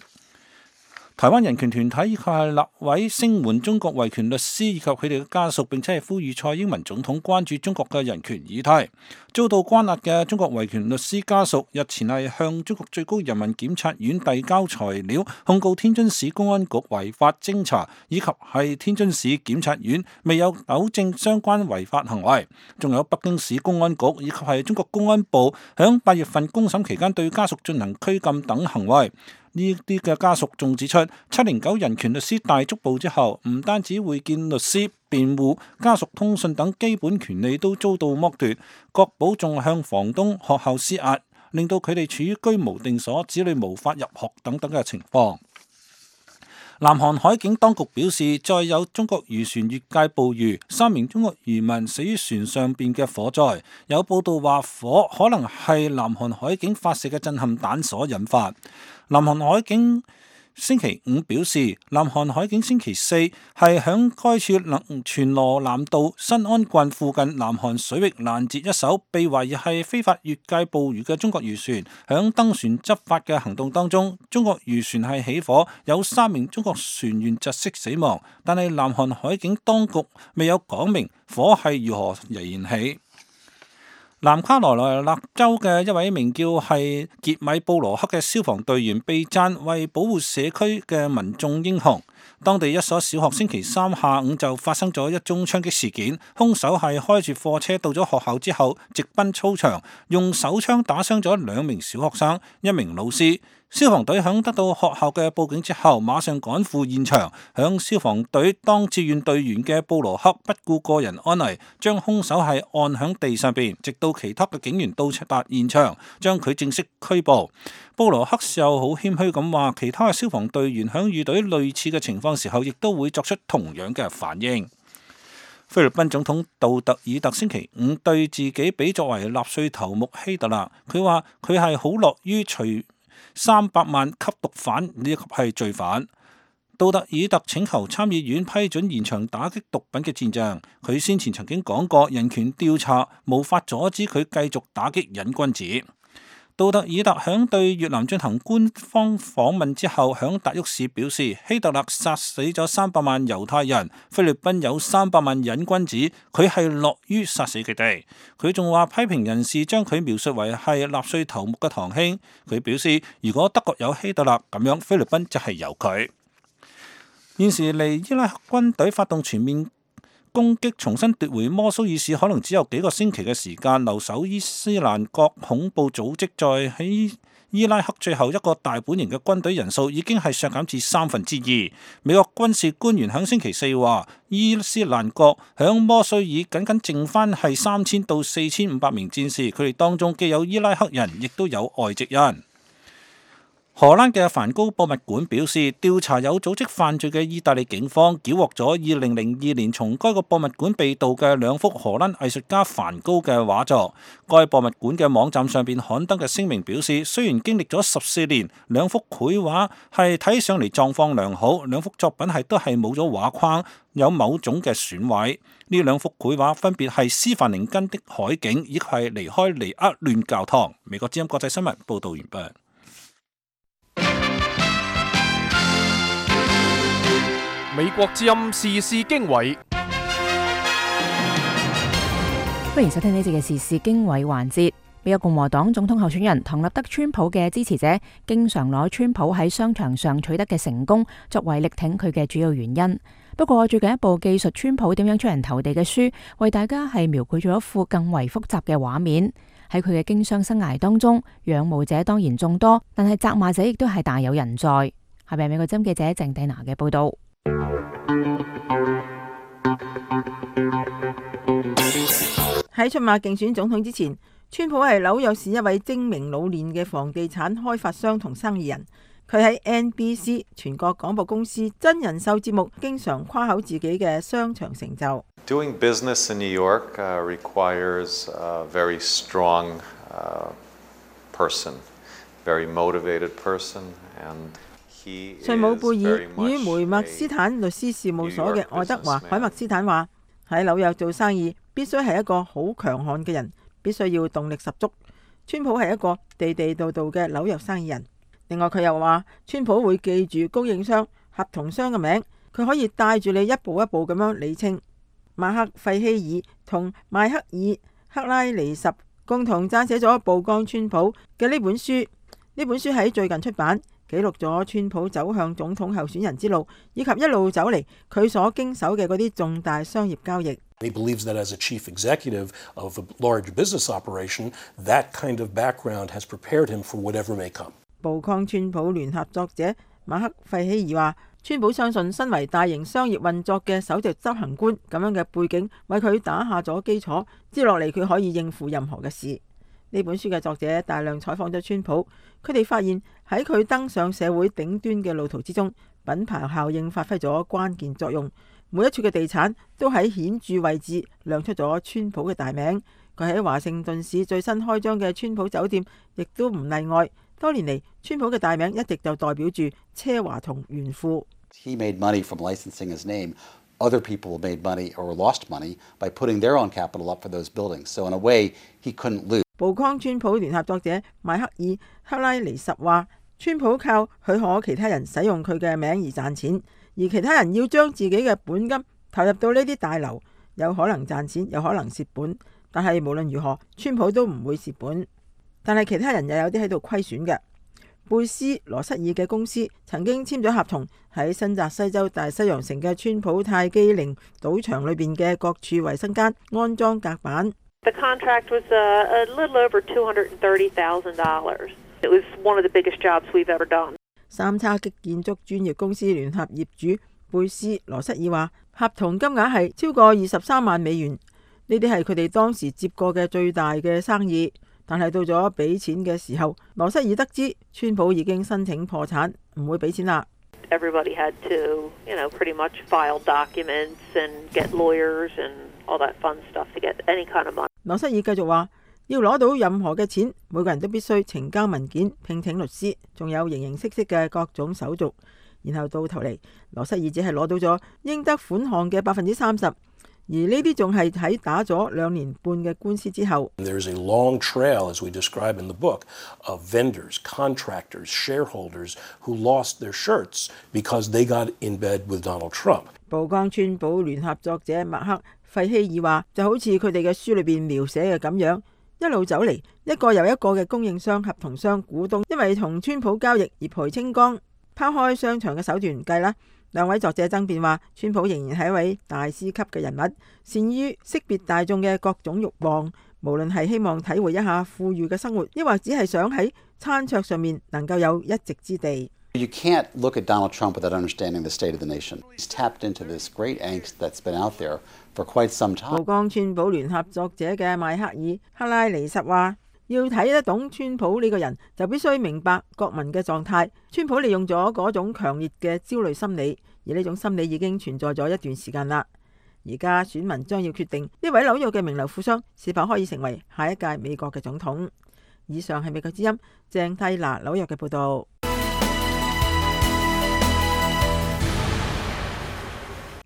台灣人權團體以及係立委聲援中國維權律師以及佢哋嘅家屬，並且係呼籲蔡英文總統關注中國嘅人權議題。遭到關押嘅中國維權律師家屬日前係向中國最高人民檢察院遞交材料，控告天津市公安局違法偵查，以及係天津市檢察院未有糾正相關違法行為。仲有北京市公安局以及係中國公安部響八月份公審期間對家屬進行拘禁等行為。呢啲嘅家屬仲指出，七零九人權律師大捉捕之後，唔單止會見律師、辯護、家屬通訊等基本權利都遭到剝奪，國保仲向房東、學校施壓，令到佢哋處於居無定所、子女無法入學等等嘅情況。南韓海警當局表示，再有中國漁船越界捕魚，三名中國漁民死於船上邊嘅火災。有報道話，火可能係南韓海警發射嘅震撼彈所引發。南韓海警星期五表示，南韓海警星期四係響該處能全羅南道新安郡附近南韓水域攔截一艘被懷疑係非法越界捕魚嘅中國漁船。響登船執法嘅行動當中，中國漁船係起火，有三名中國船員窒息死亡，但係南韓海警當局未有講明火係如何燃起。南卡羅來納州嘅一位名叫係傑米布羅克嘅消防隊員被讚為保護社區嘅民眾英雄。當地一所小學星期三下午就發生咗一宗槍擊事件，兇手係開住貨車到咗學校之後，直奔操場，用手槍打傷咗兩名小學生、一名老師。消防隊響得到學校嘅報警之後，馬上趕赴現場。響消防隊當志願隊員嘅布羅克不顧個人安危，將兇手係按響地上邊，直到其他嘅警員到達現場，將佢正式拘捕。布羅克又好謙虛咁話，其他嘅消防隊員響遇到類似嘅情況時候，亦都會作出同樣嘅反應。菲律賓總統杜特爾特星期五對自己比作為納粹頭目希特勒，佢話佢係好樂於除三百萬吸毒犯以及係罪犯。杜特爾特請求參議院批准延長打擊毒品嘅戰仗。佢先前曾經講過，人權調查無法阻止佢繼續打擊癮君子。杜特爾特響對越南進行官方訪問之後，響達沃市表示，希特勒殺死咗三百萬猶太人，菲律賓有三百萬癮君子，佢係樂於殺死佢哋。佢仲話批評人士將佢描述為係納粹頭目嘅堂兄。佢表示，如果德國有希特勒，咁樣菲律賓就係有佢。現時嚟伊拉克軍隊發動全面攻擊，重新奪回摩蘇爾市，可能只有幾個星期嘅時間。留守伊斯蘭國恐怖組織在喺伊拉克最後一個大本營嘅軍隊人數已經係削減至三分之二。美國軍事官員響星期四話，伊斯蘭國響摩蘇爾僅僅剩翻係三千到四千五百名戰士，佢哋當中既有伊拉克人，亦都有外籍人。荷蘭嘅梵高博物館表示，調查有組織犯罪嘅意大利警方繳獲咗二零零二年從該個博物館被盜嘅兩幅荷蘭藝術家梵高嘅畫作。該博物館嘅網站上邊刊登嘅聲明表示，雖然經歷咗十四年，兩幅繪畫係睇上嚟狀況良好，兩幅作品係都係冇咗畫框，有某種嘅損毀。呢兩幅繪畫分別係斯凡寧根的海景，以及係離開尼厄亂教堂。美國之音國際新聞報道完畢。美國之音時事經緯，歡迎收聽呢節嘅時事經緯環節。美國共和黨總統候選人唐納德川普嘅支持者，經常攞川普喺商場上取得嘅成功作為力挺佢嘅主要原因。不過最近一部記述川普點樣出人頭地嘅書，為大家係描繪咗一副更為複雜嘅畫面。喺佢嘅經商生涯當中，仰慕者當然眾多，但係責罵者亦都係大有人在。下邊美國之音記者鄭蒂娜嘅報道。喺出馬競選總統之前，川普係紐約市一位精明老練嘅房地產開發商同生意人。佢喺 N B C 全國廣播公司真人秀節目經常誇口自己嘅商場成就。Doing business in New York uh, requires a very strong uh, person, very motivated person, and he is 稅務貝爾 very much 與梅默斯坦律師事務所嘅愛德華海默斯坦話：喺紐約做生意必須係一個好強悍嘅人，必須要動力十足。川普係一個地地道道嘅紐約生意人。另外佢又話，川普會記住供應商、合同商嘅名，佢可以帶住你一步一步咁樣理清。馬克費希爾同邁克爾克拉尼什共同撰寫咗《曝光川普》嘅呢本書。呢本書喺最近出版，記錄咗川普走向總統候選人之路，以及一路走嚟佢所經手嘅嗰啲重大商業交易。He believes that as a chief executive of a large business operation, that kind of background has prepared him for whatever may come. 曝光川普聯合作者馬克費希爾話，川普相信身為大型商業運作嘅首席執行官咁樣嘅背景，為佢打下咗基礎，接落嚟佢可以應付任何嘅事。呢本書嘅作者大量採訪咗川普，佢哋發現喺佢登上社會頂端嘅路途之中，品牌效應發揮咗關鍵作用。每一處嘅地產都喺顯著位置亮出咗川普嘅大名。佢喺華盛頓市最新開張嘅川普酒店亦都唔例外。多年嚟，川普嘅大名一直就代表住奢華同炫富。He made money from licensing his name. Other people made money or lost money by putting their own capital up for those buildings. So in a way, he couldn't lose. 曝光川普聯合作者邁克爾克拉尼什話，川普靠許可其他人使用佢嘅名而賺錢，而其他人要將自己嘅本金投入到呢啲大樓，有可能賺錢，有可能蝕本。但係無論如何，川普都唔會蝕本。但係其他人又有啲喺度虧損嘅。貝斯羅瑟爾嘅公司曾經簽咗合同，喺新澤西州大西洋城嘅川普泰姬陵賭場裏邊嘅各處衛生間安裝隔板。The contract was a, a little over two hundred thirty thousand dollars. It was one of the biggest jobs we've ever done. 三叉戟建築專業公司聯合業主貝斯羅瑟爾話，合同金額係超過二十三萬美元，呢啲係佢哋當時接過嘅最大嘅生意。但係到咗俾錢嘅時候，羅瑟爾得知川普已經申請破產，唔會俾錢啦。Everybody had to, you know, pretty much file documents and get lawyers and all that fun stuff to get any kind of money. 羅瑟爾繼續話，要攞到任何嘅錢，每個人都必須呈交文件、聘請律師，仲有形形色色嘅各種手續。然後到頭嚟，羅瑟爾只係攞到咗應得款項嘅百分之三十。而呢啲仲係喺打咗兩年半嘅官司之後。There's a long trail, as we describe in the book, of vendors, contractors, shareholders who lost their shirts because they got in bed with Donald Trump. 寶崗川寶聯合作者麥克費希爾話，就好似佢哋嘅書裏邊描寫嘅咁樣，一路走嚟，一個又一個嘅供應商、合同商、股東，因為同川普交易而賠清光。拋開商場嘅手段計啦，兩位作者爭辯話，川普仍然係一位大師級嘅人物，善於識別大眾嘅各種慾望，無論係希望體會一下富裕嘅生活，抑或只係想喺餐桌上面能夠有一席之地。You can't look at Donald Trump without understanding the state of the nation. He's tapped into this great angst that's been out there for quite some time. 寶崗川寶聯合作者嘅邁克爾克拉尼什話，要睇得懂川普呢個人，就必須明白國民嘅狀態。川普利用咗嗰種強烈嘅焦慮心理，而呢種心理已經存在咗一段時間啦。而家選民將要決定呢位紐約嘅名流富商是否可以成為下一屆美國嘅總統。以上係美國之音鄭蒂娜紐約嘅報導。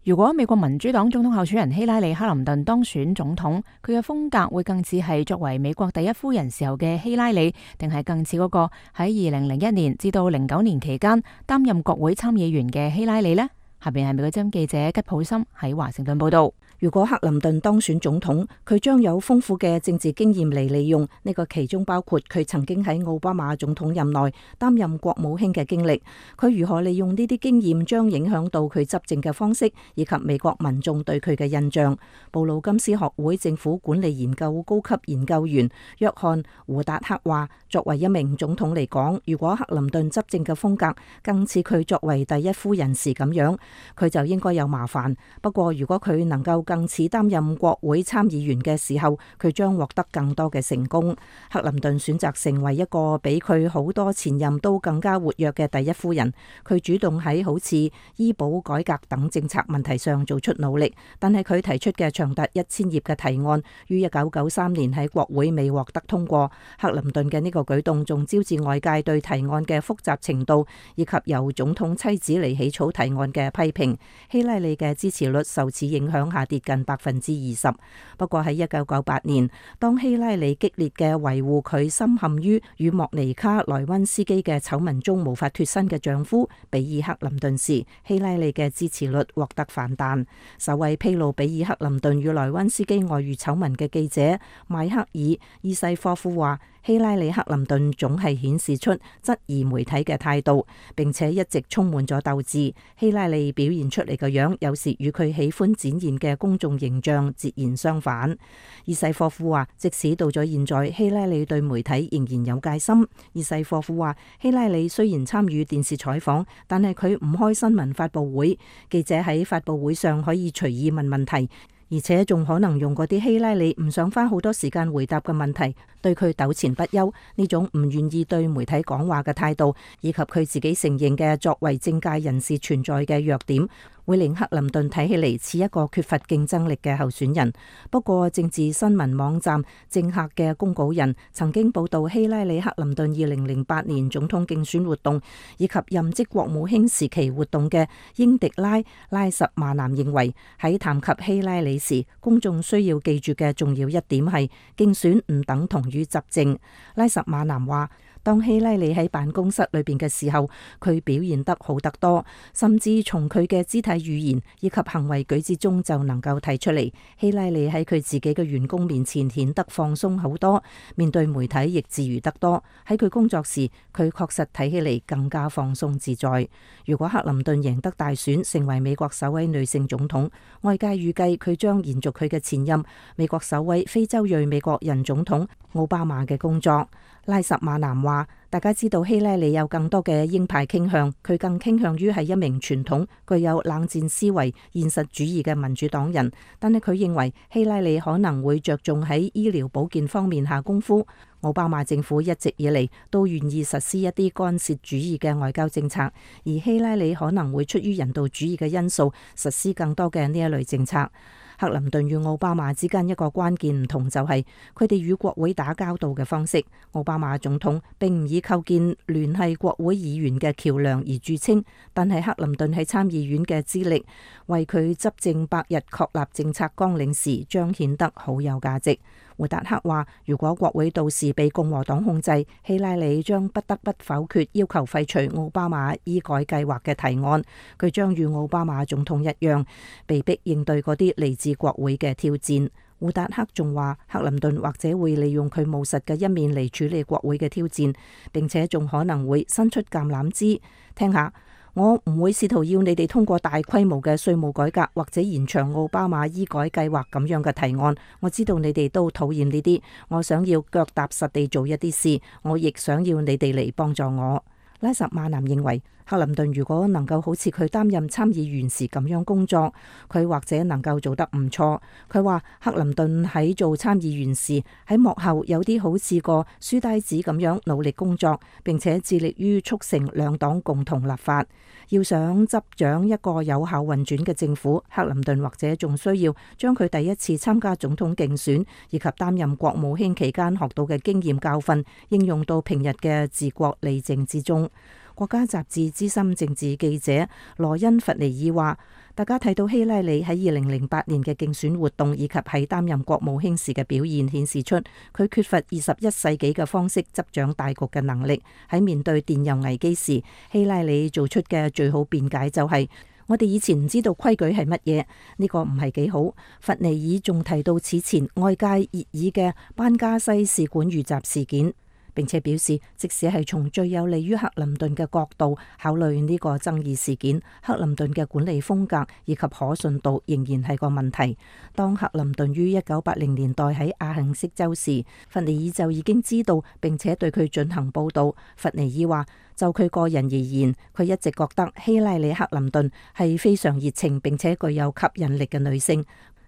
如果美國民主黨總統候選人希拉里克林頓當選總統，佢嘅風格會更似係作為美國第一夫人時候嘅希拉里，定係更似嗰個喺二零零一年至到零九年期間擔任國會參議員嘅希拉里呢？下邊係美國之音記者吉普森喺華盛頓報道。如果克林頓當選總統，佢將有豐富嘅政治經驗嚟利用，呢個其中包括佢曾經喺奧巴馬總統任內擔任國務卿嘅經歷。佢如何利用呢啲經驗，將影響到佢執政嘅方式，以及美國民眾對佢嘅印象。布魯金斯學會政府管理研究高級研究員約翰胡達克話，作為一名總統嚟講，如果克林頓執政嘅風格更似佢作為第一夫人時咁樣，佢就應該有麻煩。不過如果佢能夠更似擔任國會參議員嘅時候，佢將獲得更多嘅成功。克林頓選擇成為一個比佢好多前任都更加活躍嘅第一夫人。佢主動喺好似醫保改革等政策問題上做出努力，但係佢提出嘅長達一千頁嘅提案於一九九三年喺國會未獲得通過。克林頓嘅呢個舉動仲招致外界對提案嘅複雜程度以及由總統妻子嚟起草提案嘅批評。希拉里嘅支持率受此影響下跌近百分之二十。不過喺一九九八年，當希拉里激烈嘅維護佢深陷於與莫尼卡萊溫斯基嘅醜聞中無法脫身嘅丈夫比爾克林頓時，希拉里嘅支持率獲得反彈。首位披露比爾克林頓與萊溫斯基外遇醜聞嘅記者邁克爾伊西科夫話，希拉里克林頓總係顯示出質疑媒體嘅態度，並且一直充滿咗鬥志。希拉里表現出嚟嘅樣，有時與佢喜歡展現嘅公眾形象截然相反。伊西科夫話，即使到咗現在，希拉里對媒體仍然有戒心。伊西科夫話，希拉里雖然參與電視採訪，但係佢唔開新聞發佈會，記者喺發佈會上可以隨意問問題，而且仲可能用嗰啲希拉里唔想花好多時間回答嘅問題對佢糾纏不休。呢種唔願意對媒體講話嘅態度，以及佢自己承認嘅作為政界人士存在嘅弱點，會令克林頓睇起嚟似一個缺乏競爭力嘅候選人。不過政治新聞網站政客嘅公稿人曾經報道希拉里克林頓二零零八年總統競選活動以及任職國務卿時期活動嘅英迪拉拉什馬南認為，喺談及希拉里時，公眾需要記住嘅重要一點係競選唔等同於執政。拉什馬南話，當希拉里喺辦公室裏邊嘅時候，佢表現得好得多，甚至從佢嘅肢體語言以及行為舉止中就能夠睇出嚟。希拉里喺佢自己嘅員工面前顯得放鬆好多，面對媒體亦自如得多。喺佢工作時，佢確實睇起嚟更加放鬆自在。如果克林頓贏得大選，成為美國首位女性總統，外界預計佢將延續佢嘅前任美國首位非洲裔美國人總統奧巴馬嘅工作。拉什馬南話，大家知道希拉里有更多嘅鷹派傾向，佢更傾向於係一名傳統具有冷戰思維現實主義嘅民主黨人，但係佢認為希拉里可能會着重喺醫療保健方面下功夫。奧巴馬政府一直以嚟都願意實施一啲干涉主義嘅外交政策，而希拉里可能會出於人道主義嘅因素實施更多嘅呢一類政策。克林頓與奧巴馬之間一個關鍵唔同就係佢哋與國會打交道嘅方式。奧巴馬總統並唔以構建聯繫國會議員嘅橋梁而著稱，但係克林頓喺參議院嘅資歷，為佢執政百日確立政策綱領時彰顯得好有價值。胡達克話：如果國會到時被共和黨控制，希拉里將不得不否決要求廢除奧巴馬醫改計劃嘅提案。佢將與奧巴馬總統一樣，被迫應對嗰啲嚟自國會嘅挑戰。胡達克仲話：克林頓或者會利用佢務實嘅一面嚟處理國會嘅挑戰，並且仲可能會伸出橄欖枝。聽下。我唔會試圖要你哋通過大規模嘅稅務改革或者延長奧巴馬醫改計劃咁樣嘅提案。我知道你哋都討厭呢啲，我想要腳踏實地做一啲事，我亦想要你哋嚟幫助我。拉什馬南認為，克林頓如果能夠好似佢擔任參議員時咁樣工作，佢或者能夠做得唔錯。佢話克林頓喺做參議員時喺幕後有啲好似個書呆子咁樣努力工作，並且致力於促成兩黨共同立法。要想執掌一個有效運轉嘅政府，克林頓或者仲需要將佢第一次參加總統競選以及擔任國務卿期間學到嘅經驗教訓應用到平日嘅治國理政之中。國家雜誌資深政治記者羅恩·弗尼爾話：大家睇到希拉里喺二零零八年嘅競選活動以及喺擔任國務卿時嘅表現，顯示出佢缺乏二十一世紀嘅方式執掌大局嘅能力。喺面對電郵危機時，希拉里做出嘅最好辯解就係：我哋以前唔知道規矩係乜嘢，呢個唔係幾好。弗尼爾仲提到此前外界熱議嘅班加西使館遇襲事件。並且表示，即使係從最有利於克林頓嘅角度考慮呢個爭議事件，克林頓嘅管理風格以及可信度仍然係個問題。當克林頓於一九八零年代喺阿肯色州時，弗尼爾就已經知道並且對佢進行報導。弗尼爾話：就佢個人而言，佢一直覺得希拉里克林頓係非常熱情並且具有吸引力嘅女性。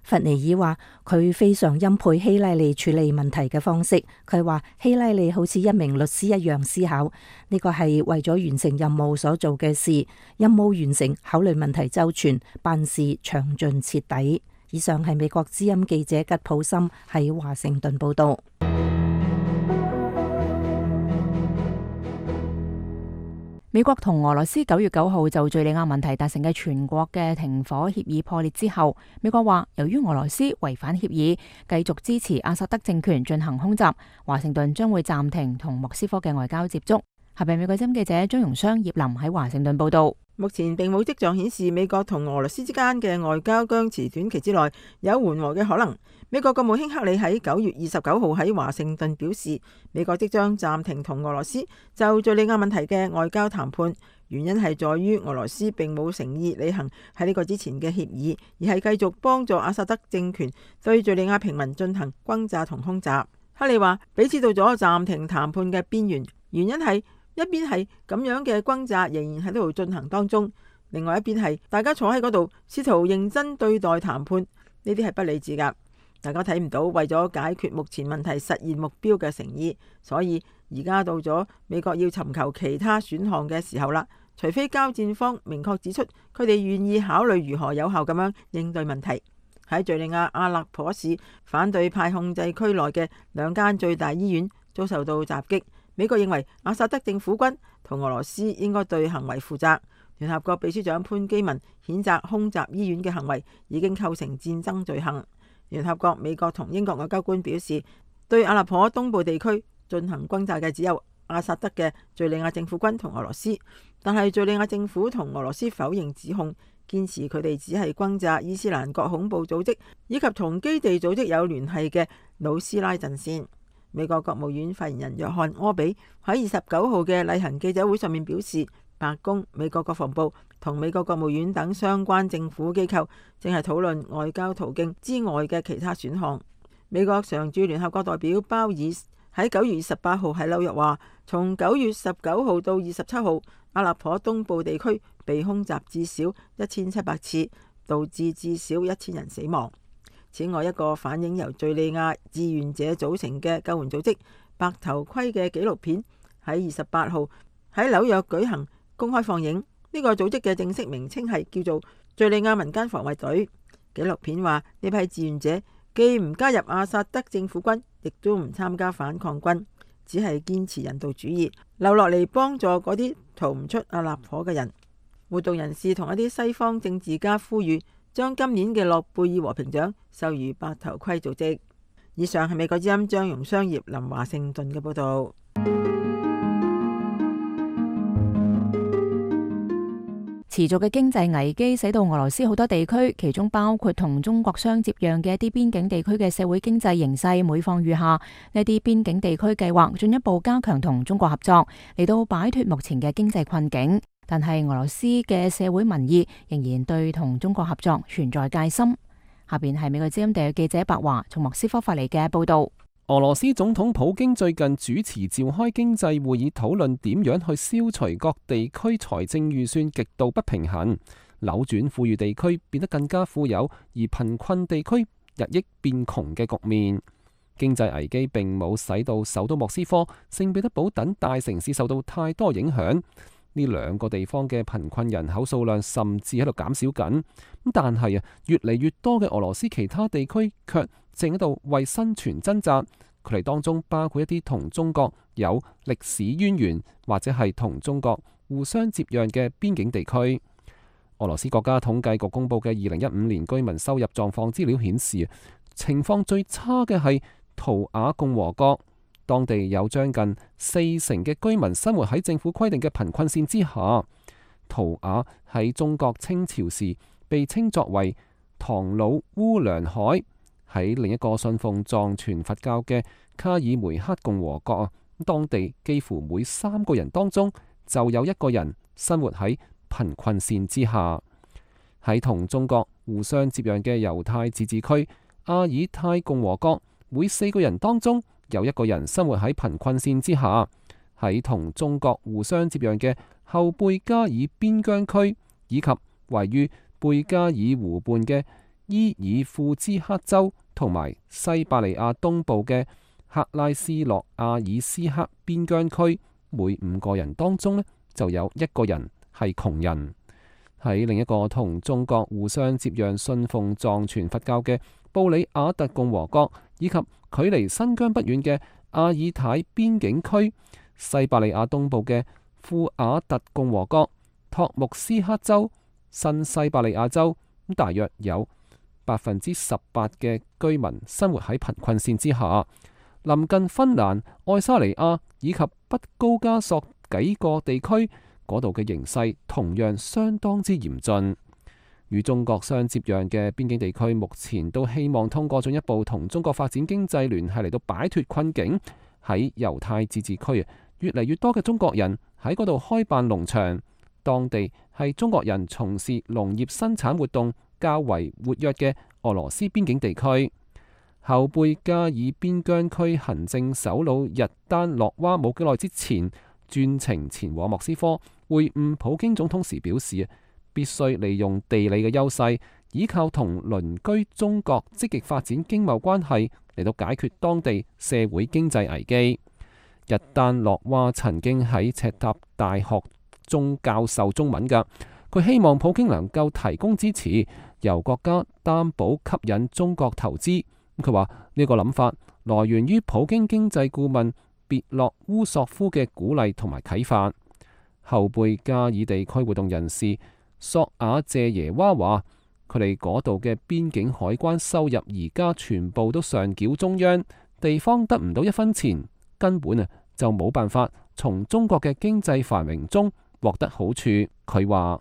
弗尼爾話佢非常欽佩希拉里處理問題嘅方式。佢話希拉里好似一名律師一樣思考，呢個係為咗完成任務所做嘅事。任務完成，考慮問題周全，辦事詳盡徹底。以上係美國之音記者吉普森喺華盛頓報道。美國同俄羅斯九月九號就敘利亞問題達成嘅全國嘅停火協議破裂之後，美國話由於俄羅斯違反協議，繼續支持阿薩德政權進行空襲，華盛頓將會暫停同莫斯科嘅外交接觸。下邊美國之音記者張榮雙、葉林喺華盛頓報道。目前並冇跡象顯示美國同俄羅斯之間嘅外交僵持短期之內有緩和嘅可能。美國國務卿克里喺九月二十九號喺華盛頓表示，美國即將暫停同俄羅斯就敘利亞問題嘅外交談判，原因係在於俄羅斯並冇誠意履行喺呢個之前嘅協議，而係繼續幫助阿薩德政權對敘利亞平民進行轟炸同空襲。克里話彼此到咗暫停談判嘅邊緣，原因係一邊係咁樣嘅轟炸仍然喺度進行當中，另外一邊係大家坐喺嗰度試圖認真對待談判，呢啲係不理智噶。大家睇唔到為咗解決目前問題實現目標嘅誠意，所以而家到咗美國要尋求其他選項嘅時候啦。除非交戰方明確指出佢哋願意考慮如何有效咁樣應對問題。喺敘利亞阿勒頗市反對派控制區內嘅兩間最大醫院遭受到襲擊。美國認為阿薩德政府軍同俄羅斯應該對行為負責。聯合國秘書長潘基文譴責空襲醫院嘅行為已經構成戰爭罪行。聯合國、美國同英國外交官表示，對阿勒頗東部地區進行轟炸嘅只有阿薩德嘅敘利亞政府軍同俄羅斯，但係敘利亞政府同俄羅斯否認指控，堅持佢哋只係轟炸伊斯蘭國恐怖組織以及同基地組織有聯繫嘅魯斯拉陣線。美國國務院發言人約翰柯比喺二十九號嘅例行記者會上面表示，白宮、美國國防部同美國國務院等相關政府機構正係討論外交途徑之外嘅其他選項。美國常駐聯合國代表鮑爾喺九月二十八號喺紐約話，從九月十九號到二十七號，阿勒頗東部地區被空襲至少一千七百次，導致至少一千人死亡。此外，一個反映由敘利亞志願者組成嘅救援組織白頭盔嘅紀錄片喺二十八號喺紐約舉行公開放映。呢個組織嘅正式名稱係叫做敘利亞民間防衛隊。紀錄片話，呢批志願者既唔加入阿薩德政府軍，亦都唔參加反抗軍，只係堅持人道主義，留落嚟幫助嗰啲逃唔出阿勒頗嘅人。活動人士同一啲西方政治家呼籲，將今年嘅諾貝爾和平獎授予白頭盔組織。以上係美國之音張容商業林華盛頓嘅報導。持續嘅經濟危機使到俄羅斯好多地區，其中包括同中國相接壤嘅一啲邊境地區嘅社會經濟形勢每況愈下。呢啲邊境地區計劃進一步加強同中國合作，嚟到擺脫目前嘅經濟困境。但係俄羅斯嘅社會民意仍然對同中國合作存在戒心。下邊係美國之音地記者白華從莫斯科發嚟嘅報導。俄羅斯總統普京最近主持召開經濟會議，討論點樣去消除各地區財政預算極度不平衡，扭轉富裕地區變得更加富有，而貧困地區日益變窮嘅局面。經濟危機並冇使到首都莫斯科、聖彼得堡等大城市受到太多影響。呢兩個地方嘅貧困人口數量甚至喺度減少緊。但係啊，越嚟越多嘅俄羅斯其他地區卻正喺度為生存掙扎，佢哋當中包括一啲同中國有歷史淵源或者係同中國互相接壤嘅邊境地區。俄羅斯國家統計局公布嘅二零一五年居民收入狀況資料顯示，情況最差嘅係圖瓦共和國，當地有將近四成嘅居民生活喺政府規定嘅貧困線之下。圖瓦喺中國清朝時被稱作為唐努烏梁海。喺另一個信奉藏傳佛教嘅卡爾梅克共和國啊，當地幾乎每三個人當中就有一個人生活喺貧困線之下。喺同中國互相接壤嘅猶太自治區阿爾泰共和國，每四個人當中有一個人生活喺貧困線之下。喺同中國互相接壤嘅後貝加爾邊疆區，以及位於貝加爾湖畔嘅伊爾庫茲克州同埋西伯利亞東部嘅克拉斯諾亞爾斯克邊疆區，每五個人當中呢就有一個人係窮人。喺另一個同中國互相接壤、信奉藏傳佛教嘅布里亞特共和國，以及距離新疆不遠嘅阿爾泰邊境區、西伯利亞東部嘅庫瓦特共和國、托木斯克州、新西伯利亞州，咁大約有百分之十八嘅居民生活喺貧困線之下。臨近芬蘭、愛沙尼亞以及北高加索幾個地區，嗰度嘅形勢同樣相當之嚴峻。與中國相接壤嘅邊境地區，目前都希望通過進一步同中國發展經濟聯繫嚟到擺脫困境。喺猶太自治區，越嚟越多嘅中國人喺嗰度開辦農場，當地係中國人從事農業生產活動較為活躍嘅俄羅斯邊境地區。後貝加爾邊疆區行政首腦日丹諾娃冇幾耐之前專程前往莫斯科會晤普京總統時表示，必須利用地理嘅優勢，依靠同鄰居中國積極發展經貿關係嚟到解決當地社會經濟危機。日丹諾娃曾經喺赤塔大學中教授中文㗎，佢希望普京能夠提供支持，由國家擔保吸引中國投資。佢話呢個諗法來源於普京經濟顧問別洛烏索夫嘅鼓勵同埋啟發。後貝加爾地區活動人士索瓦謝耶娃話，佢哋嗰度嘅邊境海關收入而家全部都上繳中央，地方得唔到一分錢，根本啊就冇辦法從中國嘅經濟繁榮中獲得好處。佢話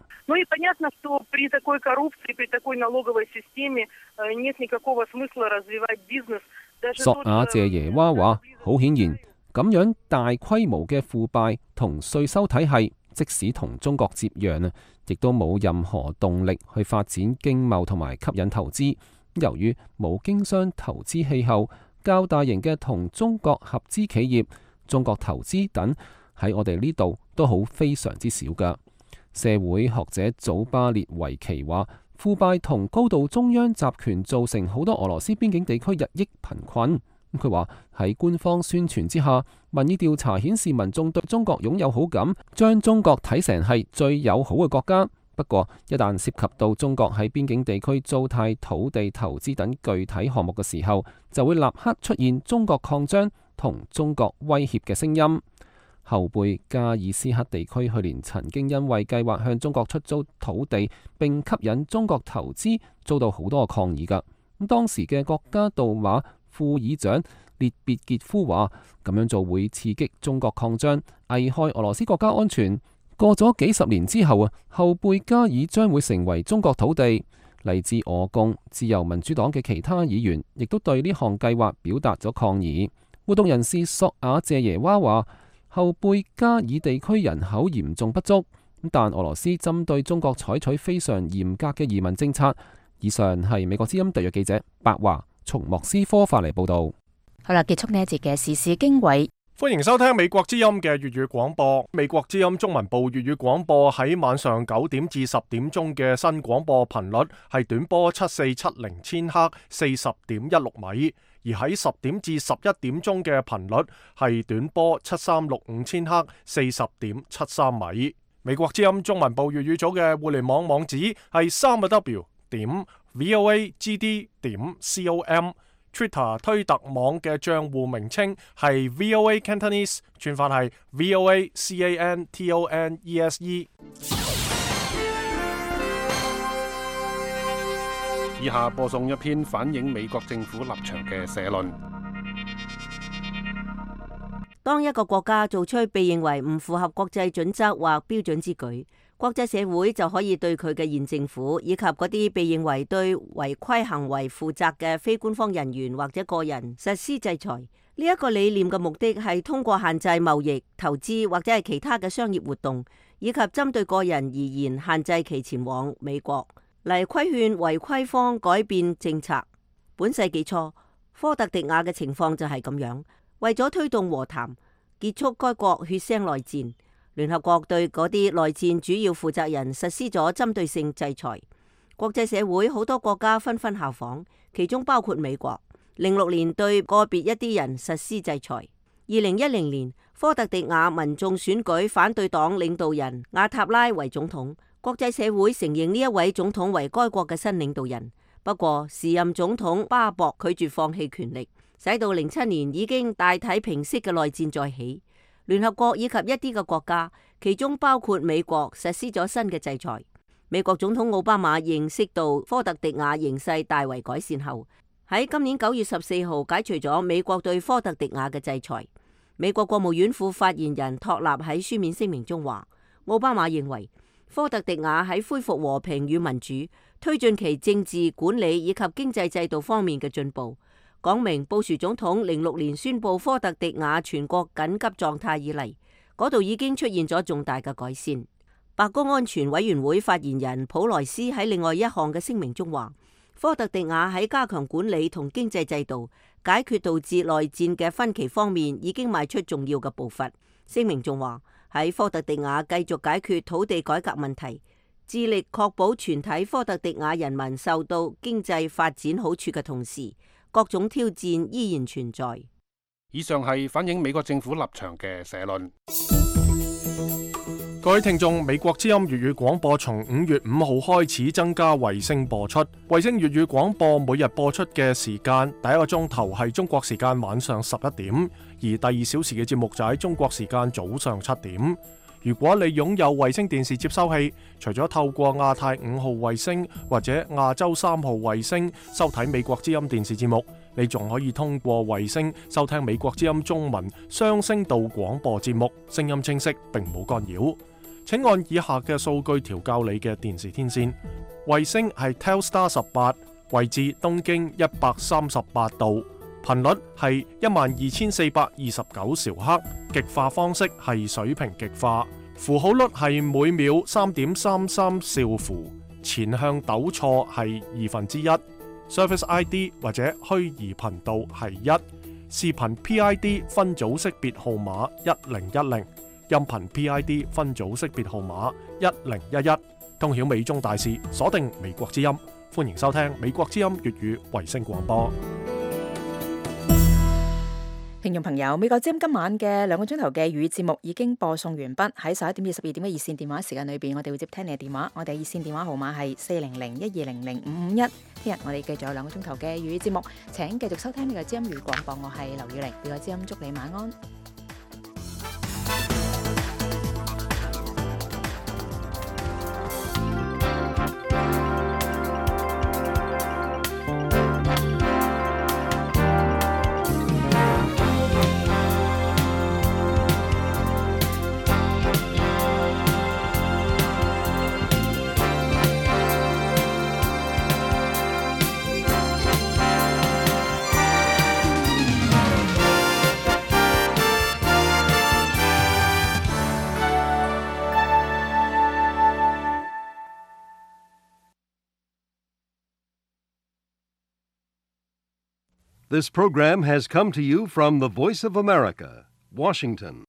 索瓦謝耶娃話，好顯然咁樣大規模嘅腐敗同稅收體系，即使同中國接壤啊，亦都冇任何動力去發展經貿同埋吸引投資。由於冇經商投資氣候，較大型嘅同中國合資企業、中國投資等喺我哋呢度都好非常之少㗎。社會學者祖巴列維奇話，腐敗同高度中央集權造成好多俄羅斯邊境地區日益貧困。佢話喺官方宣傳之下，民意調查顯示民眾對中國擁有好感，將中國睇成係最友好嘅國家。不過，一旦涉及到中國喺邊境地區租貸土地投資等具體項目嘅時候，就會立刻出現中國擴張同中國威脅嘅聲音。後貝加爾斯克地區去年曾經因為計劃向中國出租土地並吸引中國投資，遭到好多抗議㗎。咁當時嘅國家杜馬副議長列別傑夫話：咁樣做會刺激中國擴張，危害俄羅斯國家安全。過咗幾十年之後啊，後貝加爾將會成為中國土地。嚟自俄共、自由民主黨嘅其他議員亦都對呢項計劃表達咗抗議。活動人士索亞謝耶娃話：後貝加爾地區人口嚴重不足，但俄羅斯針對中國採取非常嚴格嘅移民政策。以上係美國之音特約記者白華從莫斯科發嚟報道。好啦，結束呢一節嘅時事經緯。歡迎收聽美國之音嘅粵語廣播。美國之音中文部粵語廣播喺晚上九點至十點鐘嘅新廣播頻率係短波七四七零千赫四十點一六米，而喺十點至十一點鐘嘅頻率係短波七三六五千赫四十點七三米。美國之音中文部粵語組嘅互聯網網址係三個 W 點 voagd 點 com。Twitter 推特網嘅賬戶名稱係 V O A Cantonese， 串法係 V O A C A N T O N E S E。 以下播送一篇反映美國政府立場嘅社論。當一個國家做出被認為唔符合國際準則或標準之舉，國際社會就可以對佢嘅現政府以及嗰啲被認為對違規行為負責嘅非官方人員或者個人實施制裁。呢一個理念嘅目的係通過限制貿易、投資或者係其他嘅商業活動，以及針對個人而言限制其前往美國，嚟規勸違規方改變政策。本世紀初，科特迪瓦嘅情況就係咁樣。為咗推動和談，結束該國血腥內戰，聯合國對嗰啲內戰主要負責人實施咗針對性制裁。國際社會好多國家紛紛效仿，其中包括美國。零六年對個別一啲人實施制裁。二零一零年，科特迪瓦民眾選舉反對黨領導人瓦塔拉為總統，國際社會承認呢一位總統為該國嘅新領導人。不過，時任總統巴博拒絕放棄權力，使到零七年已經大體平息嘅內戰再起。聯合國以及一啲嘅國家，其中包括美國，實施咗新嘅制裁。美國總統奧巴馬認識到科特迪瓦形勢大為改善後，喺今年九月十四號解除咗美國對科特迪瓦嘅制裁。美國國務院副發言人托納喺書面聲明中話，奧巴馬認為科特迪瓦喺恢復和平與民主、推進其政治管理以及經濟制度方面嘅進步，講明布殊總統零六年宣布科特迪瓦全國緊急狀態以嚟，嗰度已經出現咗重大嘅改善。白宮安全委員會發言人普萊斯喺另外一項嘅聲明中話，科特迪瓦喺加強管理同經濟制度、解決導致內戰嘅分歧方面已經邁出重要嘅步伐。聲明仲話，喺科特迪瓦繼續解決土地改革問題，致力確保全體科特迪瓦人民受到經濟發展好處嘅同時，各種挑戰依然存在。以上係反映美國政府立場嘅社論。各位聽眾，美國之音粵語廣播從五月五號開始增加衛星播出。衛星粵語廣播每日播出嘅時間，第一個鐘頭係中國時間晚上十一點，而第二小時嘅節目就喺中國時間早上七點。如果你擁有衛星電視接收器，除咗透過亞太五號衛星或者亞洲三號衛星收睇美國之音電視節目，你仲可以通過衛星收聽美國之音中文雙聲道廣播節目，聲音清晰並冇干擾。請按以下嘅數據調校你嘅電視天線。衛星係 Telstar 十八，位置東經一百三十八度，頻率係一萬二千四百二十九兆赫，極化方式係水平極化，符號率係每秒三點三三兆符，前向抖錯係二分之一，Service I D 或者虛擬頻道係一，視頻 P I D 分組識別號碼一零一零。音頻 P I D 分組識別號碼一零一一，通曉美中大事，鎖定美國之音，歡迎收聽美國之音粵語衛星廣播。聽眾朋友，美國之音今晚嘅兩個鐘頭嘅粵語節目已經播送完畢。喺十一點至十二點嘅熱線電話時間裏邊，我哋會接聽你嘅電話。我哋熱線電話號碼係四零零一二零零五五一。聽日我哋繼續有兩個鐘頭嘅粵語節目，請繼續收聽美國之音粵語廣播。我係劉宇玲，美國之音祝你晚安。This program has come to you from the Voice of America, Washington.